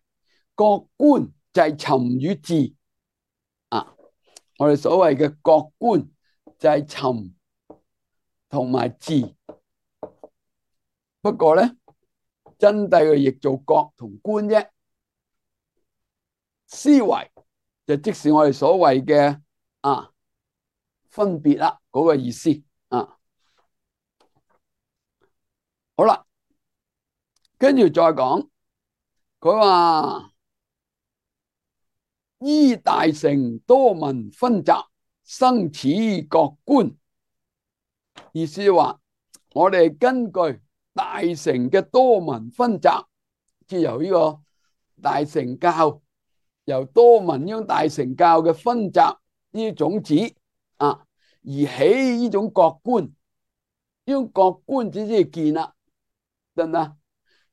各觀就係尋與伺啊。我哋所謂嘅各觀就係尋同埋伺。不過咧，真諦佢譯做各同觀啫。思維就即是我哋所謂嘅啊分別啦，嗰個意思啊。好啦，跟住再講，佢話依大乘多聞分集生此各觀，意思話我哋根據大乘嘅多聞分集，即係由呢個大乘教，由多聞呢種大乘教嘅分集呢啲種子啊，而起呢種各觀。呢種各觀只係見啦，得唔得？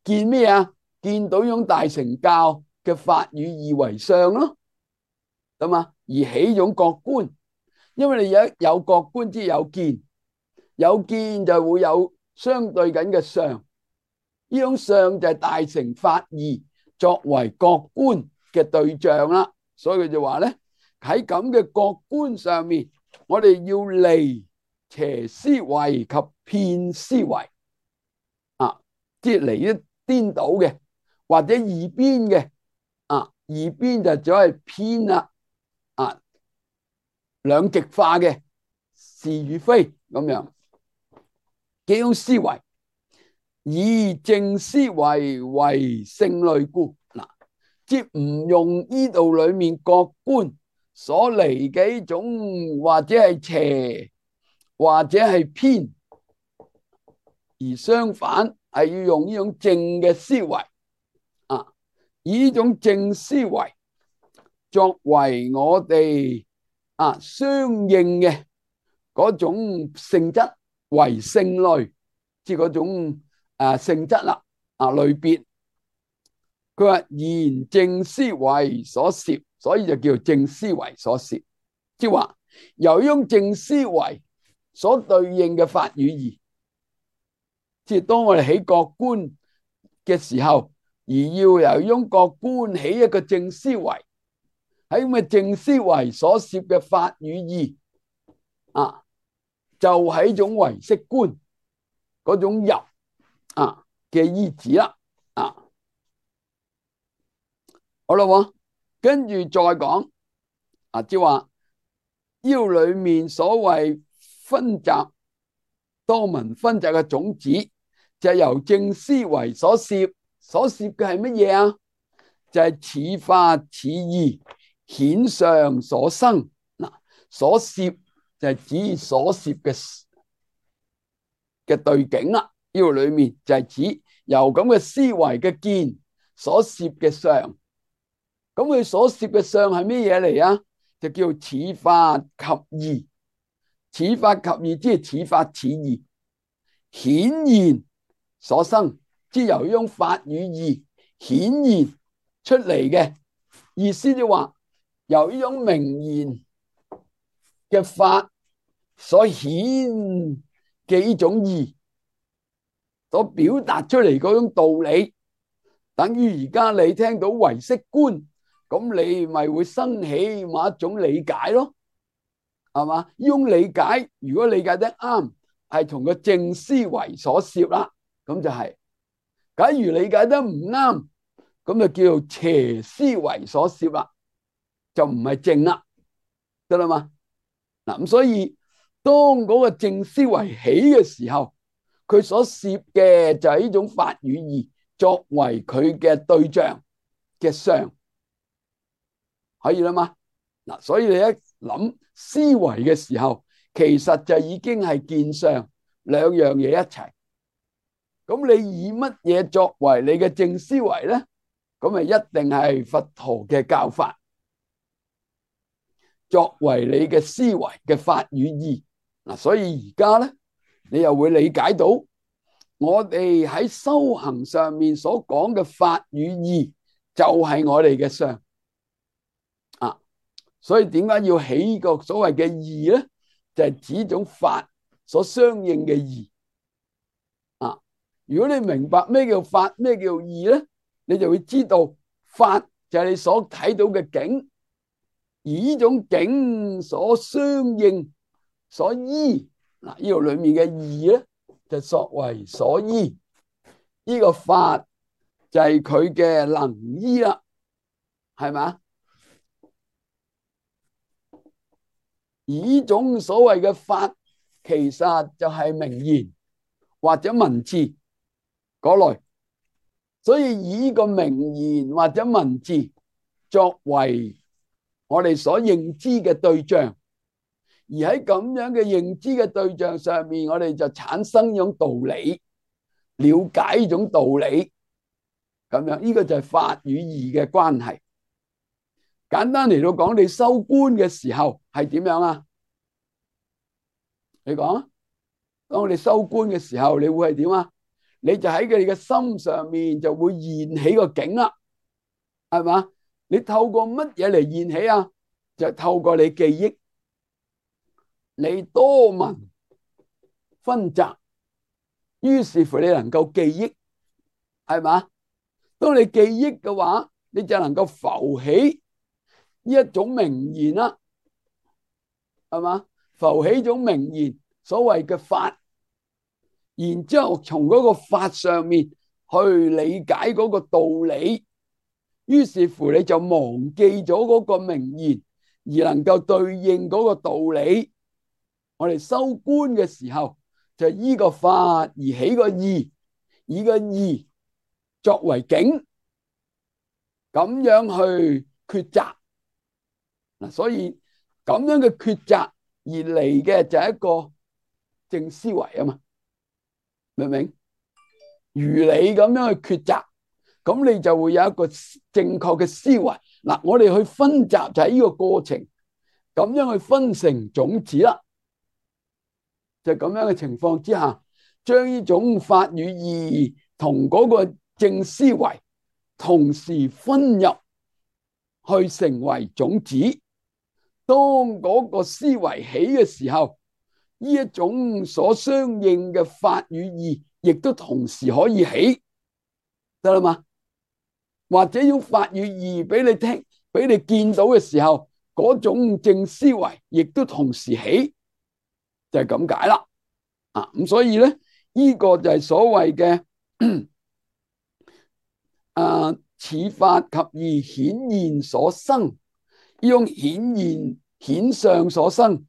見咩啊？見到呢種大乘教嘅法與義為相咯，得嘛？而起呢種各觀，因為你有有各觀，即係有見，有見就會有相對緊嘅相。呢種相就係大乘法義作為各觀嘅對象啦。所以佢就話咧，喺咁嘅各觀上面，我哋要離邪思維及遍思維啊，即係離一顛倒嘅或者二邊嘅啊，二邊就只係偏啦啊，兩極化嘅是與非咁樣幾種思維，以正思維為勝類故。嗱，即唔用呢度裏面各觀所離嘅呢種或者係邪或者係偏，而相反係要用呢種正嘅思維啊，以呢種正思維作為我哋啊相應嘅嗰種性質為勝類，即係嗰種啊性質啦啊類別。佢話言正思維所攝，所以就叫做正思維所攝，即係話由用正思維所對應嘅法與義，即係當我哋起各觀嘅時候，而要由用各觀起一個正思維，喺咁嘅正思維所攝嘅法與義啊，就係一種唯識觀嗰種入啊嘅依止啦啊。好啦，跟住再講啊，即係話腰裏面所謂分集多聞分集嘅種子，就係由正思維所攝，所攝嘅係乜嘢啊？就係此法此義顯相所生。嗱，所攝就係指所攝嘅嘅對境啦。腰裏面就係指由咁嘅思維嘅見所攝嘅相。咁佢所攝嘅相係咩嘢嚟啊？就叫此法及義，此法及義即係此法此義顯現所生，即係由呢種法與義顯現出嚟嘅意思，就話由呢種名言嘅法所顯嘅呢種義所表達出嚟嗰種道理，等於而家你聽到唯識觀，咁你咪會生起某一種理解咯，係嘛？呢種理解如果理解得啱，係同個正思維所攝啦，咁就係；假如理解得唔啱，咁就叫做邪思維所攝啦，就唔係正啦，得啦嘛？嗱，咁所以當嗰個正思維起嘅時候，佢所攝嘅就係呢種法與義作為佢嘅對象嘅相。可以啦嘛？嗱，所以你一諗思維嘅時候，其實就已經係見相兩樣嘢一齊。咁你以乜嘢作為你嘅正思維咧？咁咪一定係佛陀嘅教法作為你嘅思維嘅法與義。嗱，所以而家咧，你又會理解到我哋喺修行上面所講嘅法與義，就係我哋嘅相。所以點解要起個所謂嘅義咧？就係指種法所相應嘅義啊。如果你明白咩叫法，咩叫義咧，你就會知道法就係你所睇到嘅境，而呢種境所相應所依嗱，呢度裏面嘅義咧就作為所依，呢個法就係佢嘅能依啦，係嘛？而呢種所謂嘅法，其實就係名言或者文字嗰類，所以以呢個名言或者文字作為我哋所認知嘅對象，而喺咁樣嘅認知嘅對象上面，我哋就產生一種道理，了解呢種道理，咁樣呢個就係法與義嘅關係。簡單嚟到講，你修觀嘅時候係點樣啊？你講啊，當我哋修觀嘅時候，你會係點啊？你就喺佢哋嘅心上面就會現起個境啦，係嘛？你透過乜嘢嚟現起啊？就透過你記憶，你多聞熏習，於是乎你能夠記憶，係嘛？當你記憶嘅話，你就能夠浮起呢一種名言啦，係嘛？浮起種名言，所謂嘅法，然之後從嗰個法上面去理解嗰個道理，於是乎你就忘記咗嗰個名言，而能夠對應嗰個道理。我哋修觀嘅時候，就依個法而起個義，以個義作為境，咁樣去抉擇嗱。所以咁樣嘅抉擇而嚟嘅就係一個正思維啊嘛，明唔明？如你咁樣去抉擇，咁你就會有一個正確嘅思維嗱。我哋去分集就係呢個過程，咁樣去分成種子啦。就咁樣嘅情況之下，將呢種法與義同嗰個正思維同時分入去成為種子。當嗰個思維起嘅時候，呢一種所相應嘅法與義亦都同時可以起，得啦嘛？或者用法與義俾你聽，俾你見到嘅時候，嗰種正思維亦都同時起，就係咁解啦。啊，咁所以咧，呢個就係所謂嘅啊，此法及義顯現所生，呢種顯現顯相所生，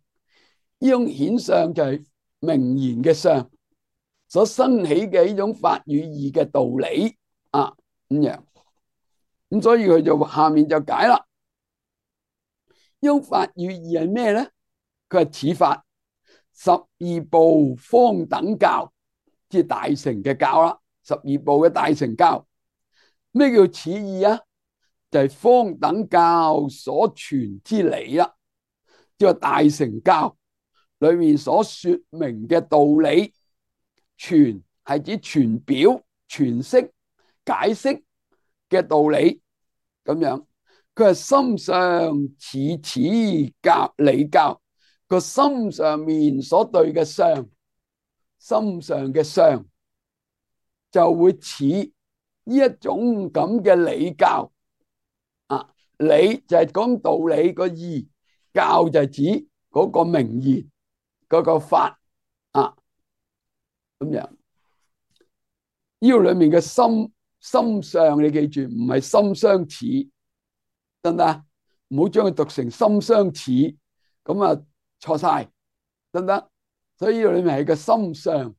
呢種顯相就係名言嘅相所生起嘅呢種法與義嘅道理啊，咁樣。咁所以佢就下面就解啦。呢種法與義係咩咧？佢係此法十二部方等教，即係大乘嘅教啦。十二部嘅大乘教，咩叫此義啊？就係方等教所傳之理啦，即係大乘教裏面所說明嘅道理。傳係指傳表、詮釋、解釋嘅道理，咁樣佢係心上似此教理教，個心上面所對嘅相，心上嘅相就會似呢一種咁嘅理教啊。理就係講道理，個義教就係指嗰個名言嗰個法啊，咁樣。呢個裏面嘅心心相，你記住唔係心相似，得唔得？唔好將佢讀成心相似，咁啊錯晒，得唔得？所以呢個裏面係個心相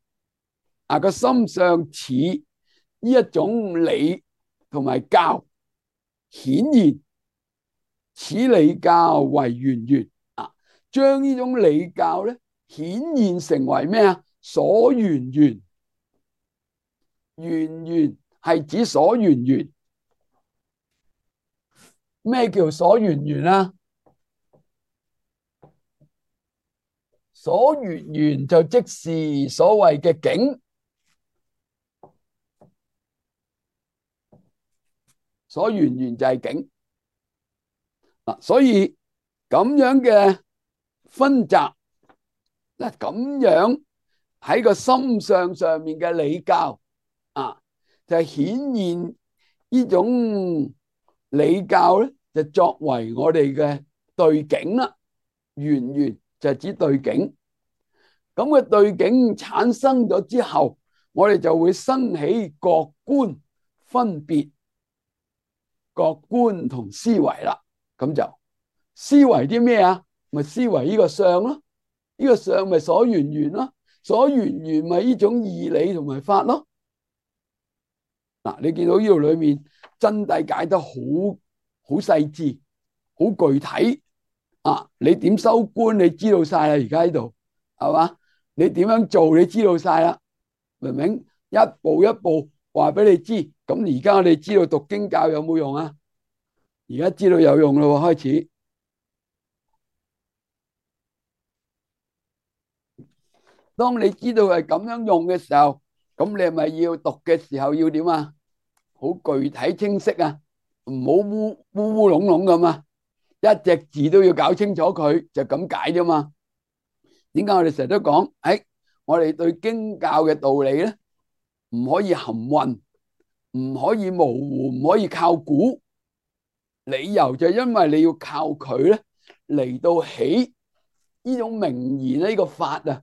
啊，個心相似呢一種理同埋教顯現，此理教為緣緣啊，將呢種理教咧顯現成為咩啊？所緣緣。緣緣係指所緣緣，咩叫所緣緣啊？所緣緣就即是所謂嘅境，所緣緣就係境啊。所以咁樣嘅分集嗱，咁樣喺個心上上面嘅理教啊，就係顯現呢種理教咧，就作為我哋嘅對境啦。緣緣就係指對境，咁嘅對境產生咗之後，我哋就會生起覺觀分別，覺觀同思維啦。咁就思維啲咩啊？咪思維呢個相咯，呢個相咪所緣緣咯，所緣緣咪呢種義理同埋法咯。嗱，你見到呢度裏面真諦解得好好細緻，好具體啊！你點修觀，你知道晒啦，而家喺度係嘛？你點樣做，你知道晒啦，明唔明？一步一步話俾你知。咁而家我哋知道讀經教有冇用啊？而家知道有用咯，開始。當你知道係咁樣用嘅時候，咁你係咪要讀嘅時候要點啊？好具體清晰啊，唔好烏烏烏籠籠咁啊！一隻字都要搞清楚佢，就咁解啫嘛。點解我哋成日都講？誒，我哋對經教嘅道理咧，唔可以含混，唔可以模糊，唔可以靠估。理由就因為你要靠佢咧嚟到起呢種名言呢個法啊，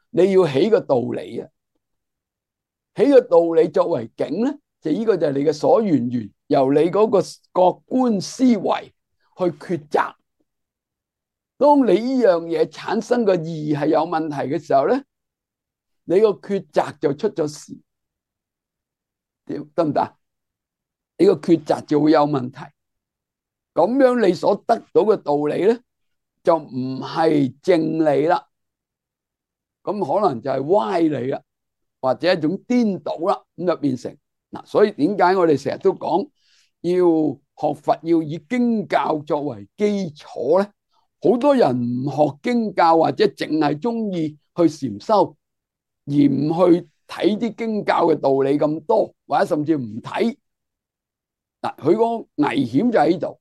你要起個道理啊，起個道理作為境咧，就呢個就係你嘅所緣緣，由你嗰個覺觀思維去抉擇。當你呢樣嘢產生個義係有問題嘅時候咧，你個抉擇就出咗事，得唔得？你個抉擇就會有問題。咁樣你所得到嘅道理咧，就唔係正理啦，咁可能就係歪理啦，或者一種顛倒啦，咁就變成嗱。所以點解我哋成日都講要學佛要以經教作為基礎咧？好多人唔學經教或者淨係中意去禪修，而唔去睇啲經教嘅道理咁多，或者甚至唔睇嗱，佢個危險就喺度。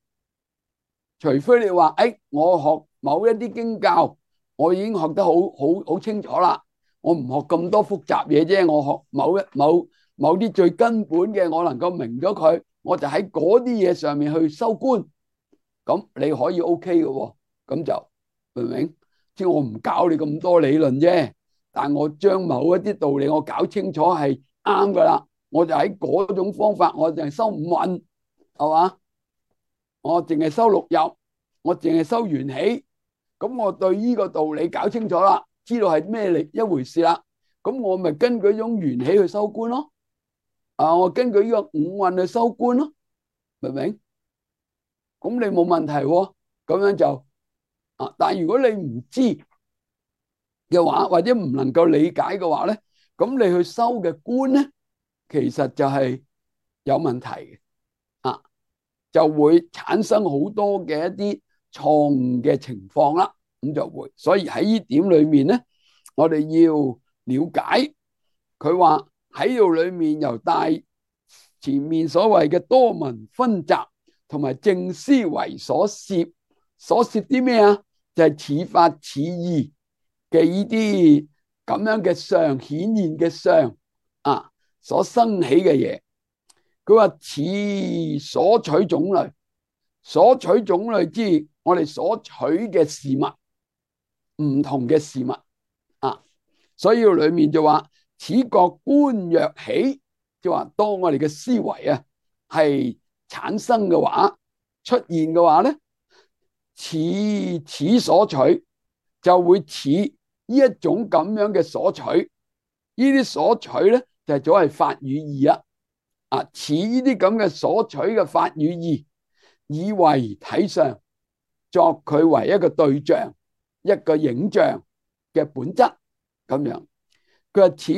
除非你話誒，我學某一啲經教，我已經學得好好好清楚啦，我唔學咁多複雜嘢啫，我學某一某某啲最根本嘅，我能夠明咗佢，我就喺嗰啲嘢上面去修觀，咁你可以 OK 嘅喎，咁就明唔明？即係我唔教你咁多理論啫，但我將某一啲道理我搞清楚係啱噶啦，我就喺嗰種方法，我就係修五蘊，係嘛？我淨係修六入，我淨係修緣起，咁我對呢個道理搞清楚啦，知道係咩嚟一回事啦，咁我咪根據呢種緣起去修觀咯，啊，我根據呢個五蘊去修觀咯，明唔明？咁你冇問題喎，咁樣就啊，但係如果你唔知嘅話，或者唔能夠理解嘅話咧，咁你去修嘅觀咧，其實就係有問題嘅。就會產生好多嘅一啲錯誤嘅情況啦，咁就會，所以喺呢點裏面咧，我哋要了解佢話喺度裏面由帶前面所謂嘅多聞分集同埋正思維所攝，所攝啲咩啊？就係似法似義嘅呢啲咁樣嘅相顯現嘅相啊，所生起嘅嘢。佢話似所取種類，所取種類之我哋所取嘅事物，唔同嘅事物啊，所以裏面就話此覺觀若起，就話當我哋嘅思維啊係產生嘅話，出現嘅話咧，似此所取就會似呢一種咁樣嘅所取，呢啲所取咧就係所謂法與義啊。啊，似呢啲咁嘅所取嘅法與義，以為體相，作佢為一個對象，一個影像嘅本質咁樣。佢話此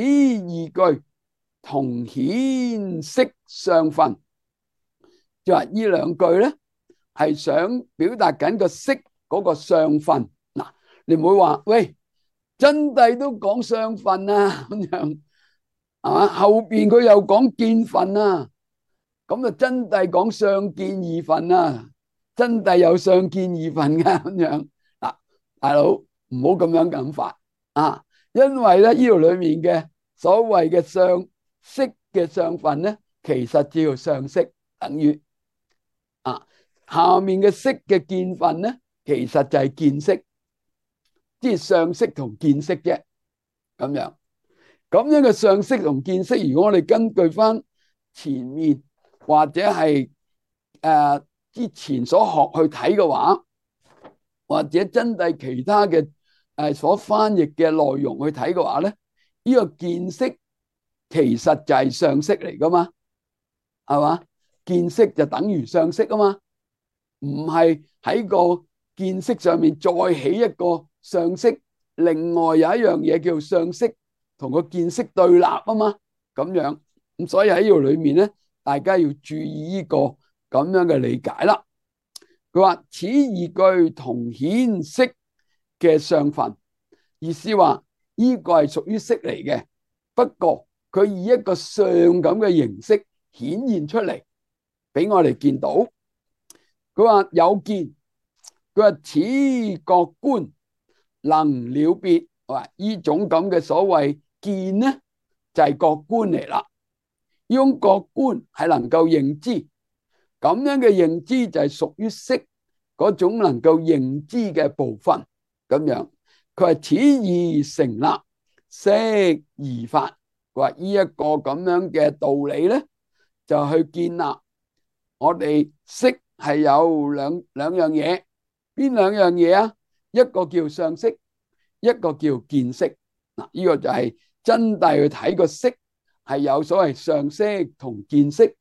二句同顯色相分，就話呢兩句咧係想表達緊個色嗰個相分。嗱，你唔會話喂，真諦都講相分啊咁樣。啊！後邊佢又講見分啊，咁啊真諦講相見二分啊，真諦有相見二分噶咁樣嗱，大佬唔好咁樣諗法啊，因為咧呢度裏面嘅所謂嘅相識嘅相分咧，其實叫相識，等於啊下面嘅識嘅見分咧，其實就係見識，即係相識同見識啫。咁樣咁樣嘅相識同見識，如果我哋根據翻前面或者係誒之前所學去睇嘅話，或者真係其他嘅誒所翻譯嘅內容去睇嘅話咧，呢個見識其實就係相識嚟噶嘛，係嘛？見識就等於相識啊嘛，唔係喺個見識上面再起一個相識，另外有一樣嘢叫相識同個見識對立啊嘛，咁樣咁所以喺呢度裏面咧，大家要注意呢個咁樣嘅理解啦。佢話此二句同顯識嘅相分，意思話呢個係屬於識嚟嘅，不過佢以一個相咁嘅形式顯現出嚟俾我哋見到。佢話有見，佢話此覺觀能了別，話呢種咁嘅所謂見呢就係覺觀嚟啦。呢種覺觀係能夠認知，咁樣嘅認知就係屬於識嗰種能夠認知嘅部分。咁樣佢話此二成立，識二法。佢話呢一個咁樣嘅道理咧，就去建立我哋識係有兩兩樣嘢。邊兩樣嘢啊？一個叫相識，一個叫見識。嗱，呢個就係真諦去睇個識係有所謂相識同見識。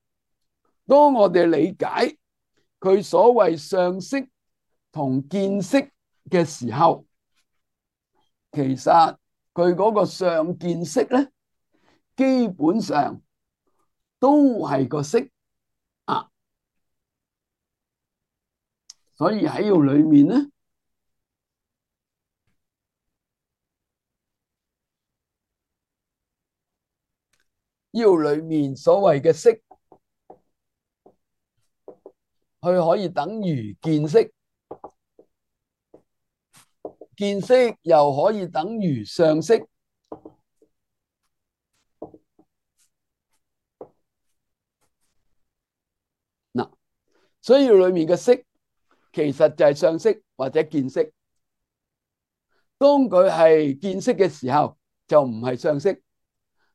當我哋理解佢所謂相識同見識嘅時候，其實佢嗰個相見識咧，基本上都係個識啊。所以喺度裏面咧，呢度裏面所謂嘅識，佢可以等於見識，見識又可以等於相識。嗱，所以裏面嘅識其實就係相識或者見識。當佢係見識嘅時候，就唔係相識；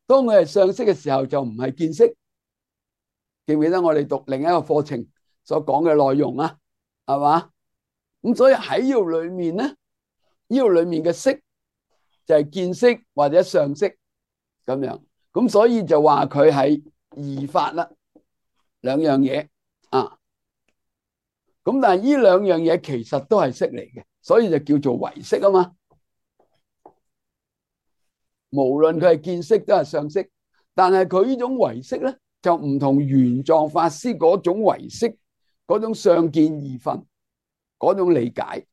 當佢係相識嘅時候，就唔係見識。記唔記得我哋讀另一個課程所講嘅內容啊？係嘛？咁所以喺呢度裏面咧，呢度裏面嘅識就係見識或者相識咁樣。咁所以就話佢係二法啦，兩樣嘢啊。咁但係呢兩樣嘢其實都係識嚟嘅，所以就叫做唯識啊嘛。無論佢係見識都係相識，但係佢呢種唯識咧，就唔同玄奘法師嗰種唯識嗰種相見二分嗰種理解。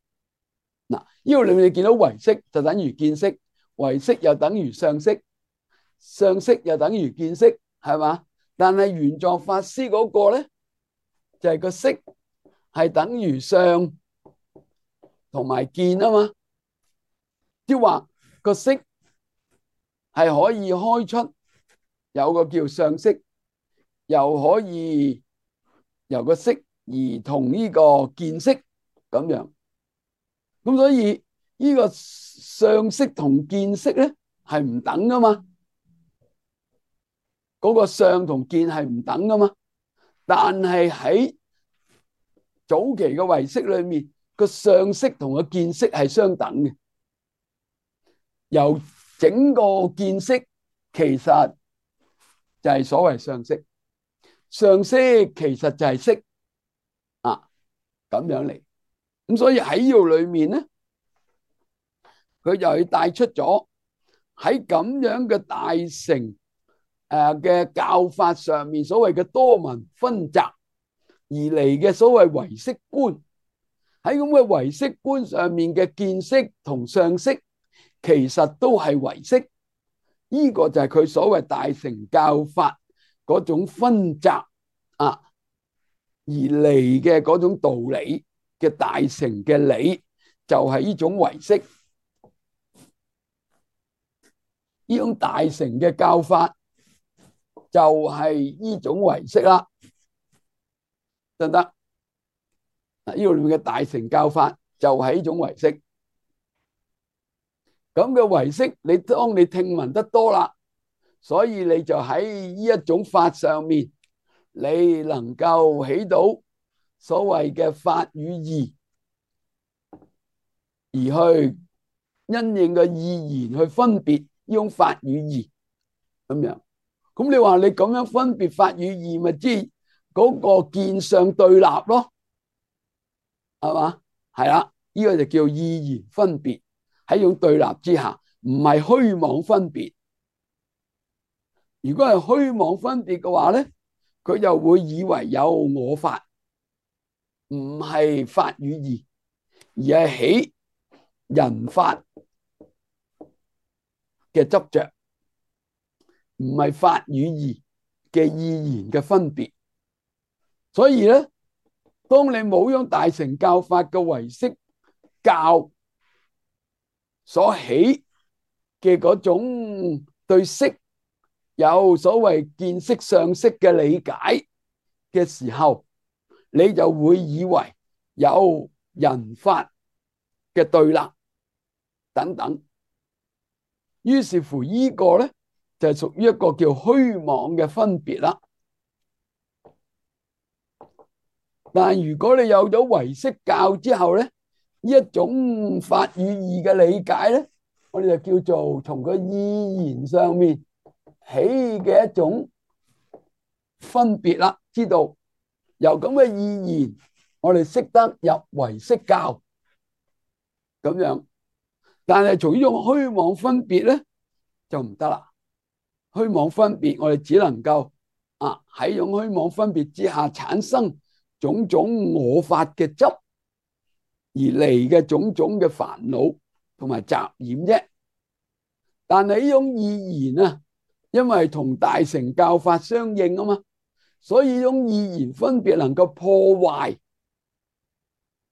嗱，呢度裏面你見到唯識就等於見識，唯識又等於相識，相識又等於見識，係嘛？但係玄奘法師嗰個咧，就係個識係等於相同埋見啊嘛，即係話個識係可以開出有個叫相識，又可以由個識而同呢個見識咁樣。咁所以呢個相識同見識咧係唔等噶嘛，嗰個相同見係唔等噶嘛。但係喺早期嘅唯識裏面，個相識同個見識係相等嘅。由整個見識其實就係所謂相識，相識其實就係識啊，咁樣嚟。咁所以喺呢度裏面咧，佢就係帶出咗喺咁樣嘅大乘誒嘅教法上面，所謂嘅多聞分集而嚟嘅所謂唯識觀，喺咁嘅唯識觀上面嘅見識同相識，其實都係唯識。呢個就係佢所謂大乘教法嗰種分集啊而嚟嘅嗰種道理嘅大乘嘅理，就係呢種唯識。呢種大乘嘅教法就係呢種唯識啦，得唔得？呢度裏面嘅大乘教法就係呢種唯識。咁嘅唯識，你當你聽聞得多啦，所以你就喺呢一種法上面，你能夠起到所謂嘅法與義，而去因應嘅意言去分別呢種法與義咁樣。咁你話你咁樣分別法與義，咪即嗰個見相對立咯，係嘛？係啦，呢個就叫意言分別，喺呢種對立之下，唔係虛妄分別。如果係虛妄分別嘅話咧，佢就會以為有我法，唔係法與義，而係起人法嘅執着，唔係法與義嘅意言嘅分別。所以咧，當你冇用大乘教法嘅唯識教所起嘅嗰種對識有所謂見識相識嘅理解嘅時候，你就會以為有人法嘅對立等等。於是乎呢個咧就係屬於一個叫虛妄嘅分別啦。但係如果你有咗唯識教之後咧，呢一種法與義嘅理解咧，我哋就叫做從個意言上面起嘅一種分別啦。知道由咁嘅意言，我哋識得入唯識教咁樣。但係從呢種虛妄分別咧就唔得啦。虛妄分別，我哋只能夠啊喺種虛妄分別之下產生種種我法嘅執而嚟嘅種種嘅煩惱同埋雜染啫。但係呢種意言啊，因為同大乘教法相應啊嘛，所以呢種意言分別能夠破壞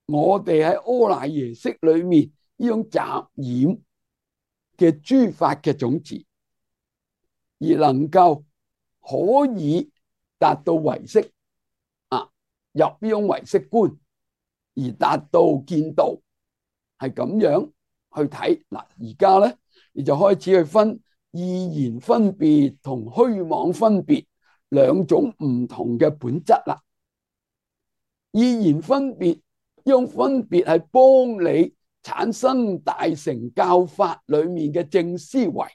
我哋喺阿賴耶識裏面呢種雜染嘅諸法嘅種子，而能夠可以達到唯識啊，入呢種唯識觀而達到見道，係咁樣去睇。嗱，而家咧你就開始去分意言分別同虛妄分別兩種唔同嘅本質啦。意言分別呢種分別係幫你產生大乘教法裏面嘅正思維，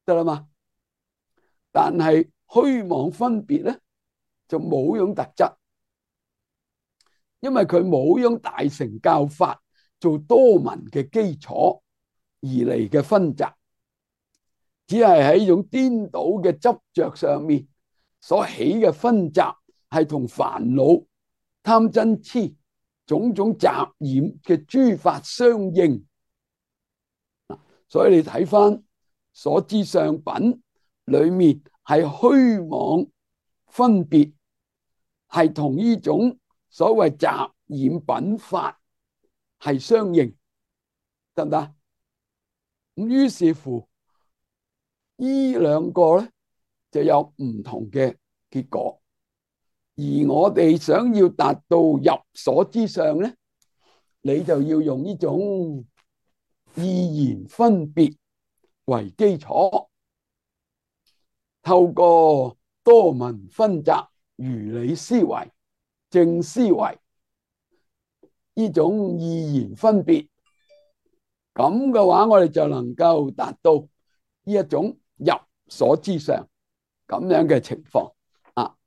得啦嘛？但係虛妄分別咧就冇種特質，因為佢冇用大乘教法做多聞嘅基礎而嚟嘅分集，只係喺呢種顛倒嘅執着上面所起嘅分集，係同煩惱、貪嗔癡種種雜染嘅諸法相應。所以你睇翻所知相品裏面係虛妄分別，係同呢種所謂雜染品法係相應，得唔得？咁於是乎呢兩個咧就有唔同嘅結果，而我哋想要達到入所知相咧，你就要用呢種意言分別為基礎，透過多聞分集、如理思維、正思維呢種意言分別，咁嘅話我哋就能夠達到呢一種入所知相咁樣嘅情況啊。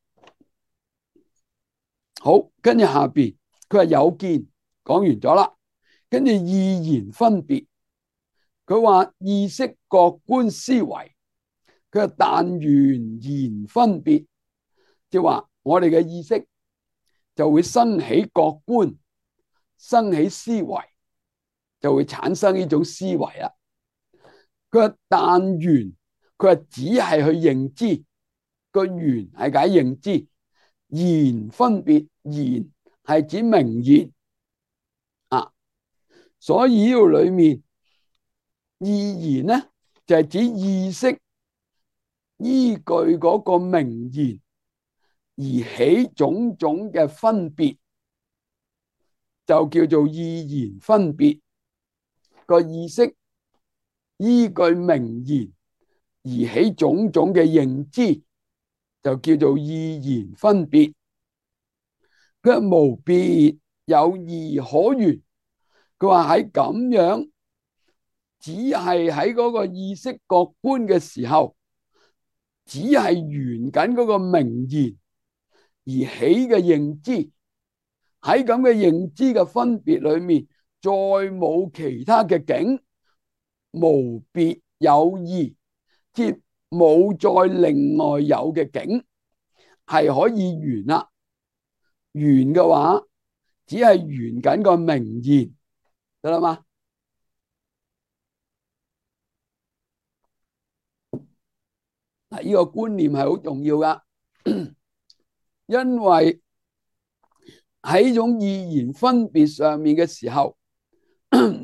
好，跟住下邊佢話有見講完咗啦，跟住意言分別，佢話意識覺觀思維，佢話但緣言分別，即係話我哋嘅意識就會生起覺觀，生起思維，就會產生呢種思維啦。佢話但緣，佢話只係去認知，個緣係解認知，言分別，言係指名言啊。所以呢度裏面意言咧就係指意識依據嗰個名言而起種種嘅分別，就叫做意言分別。個意識依據名言而起種種嘅認知，就叫做意言分別。佢話無別有義可緣。佢話喺咁樣，只係喺嗰個意識覺觀嘅時候，只係緣緊嗰個名言而起嘅認知，喺咁嘅認知嘅分別裏面，再冇其他嘅境，無別有義，即冇再另外有嘅境係可以緣啦。緣嘅話，只係緣緊個名言，得啦嘛？嗱，呢個觀念係好重要噶，因為喺種意言分別上面嘅時候，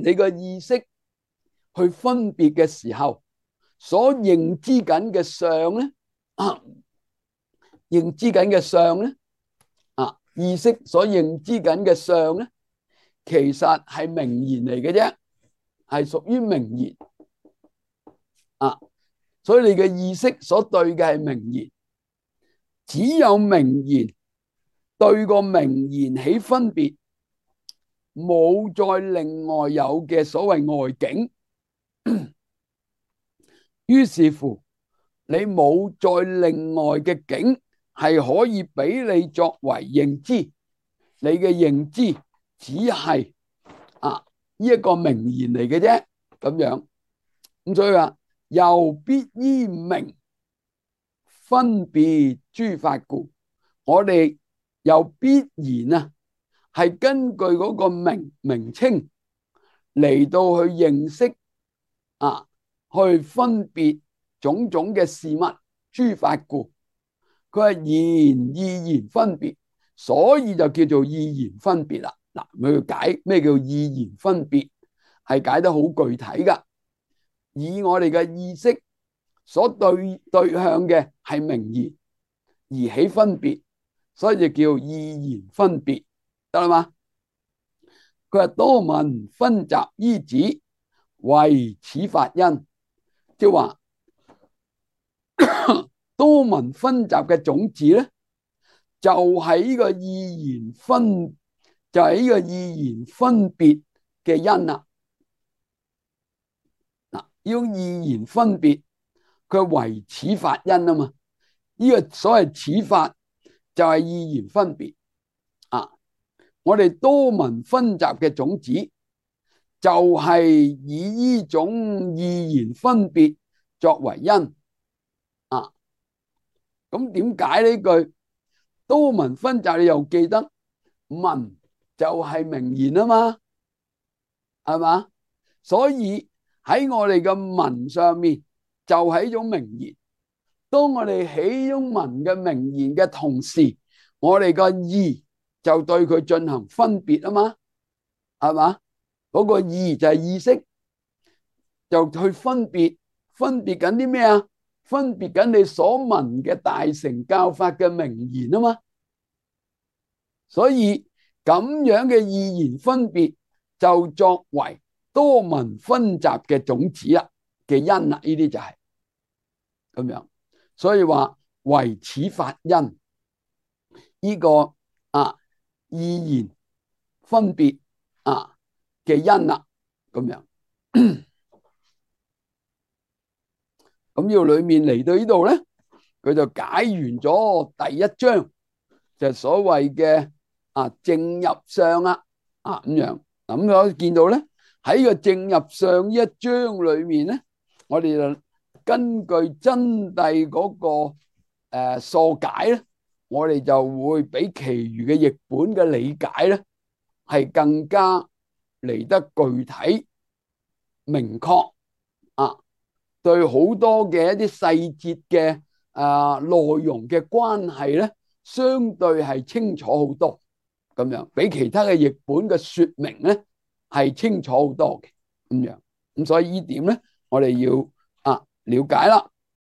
你個意識去分別嘅時候，所認知緊嘅相咧，啊，認知緊嘅相咧，啊，意識所認知緊嘅相咧，其實係名言嚟嘅啫，係屬於名言啊。所以你嘅意識所對嘅係名言，只有名言對個名言起分別，冇再另外有嘅所謂外境。於是乎，你冇再另外嘅境係可以俾你作為認知，你嘅認知只係啊呢一個名言嚟嘅啫，咁樣。咁所以話又必依名分別諸法故，我哋又必然啊係根據嗰個名名稱嚟到去認識啊，去分別種種嘅事物諸法故。佢係言意言分別，所以就叫做意言分別啦。嗱，佢解咩叫意言分別，係解得好具體噶。以我哋嘅意識所對對向嘅係名言而起分別，所以就叫意言分別，得啦嘛？佢話多聞分集依止，為此法因，即係話多聞分集嘅種子咧，就係呢個意言分，就係呢個意言分別嘅因啦。嗱，呢種意言分別，佢為此法因啊嘛。呢個所謂此法就係意言分別啊。我哋多聞分集嘅種子，就係以呢種意言分別作為因啊。咁點解呢句多聞分集？你又記得聞就係名言啊嘛，係嘛？所以喺我哋嘅聞上面就係一種名言。當我哋起種聞嘅名言嘅同時，我哋個意就對佢進行分別啊嘛，係嘛？嗰個意就係意識，就去分別，分別緊啲咩啊？分別緊你所聞嘅大乘教法嘅名言啊嘛。所以咁樣嘅意言分別就作為多聞分集嘅種子啦嘅因啦，呢啲就係咁樣。所以話為此法因，呢個啊意言分別啊嘅因啦，咁樣。咁呢度裏面嚟到呢度咧，佢就解完咗第一章，就係所謂嘅啊正入相啦，啊咁樣。咁我見到咧喺個正入相呢一章裏面咧，我哋就根據真諦嗰個誒疏解咧，我哋就會比其餘嘅譯本嘅理解咧係更加嚟得具體明確啊，對好多嘅一啲細節嘅啊內容嘅關係咧，相對係清楚好多，咁樣比其他嘅譯本嘅說明咧係清楚好多嘅咁樣。咁所以呢點咧，我哋要啊了解啦。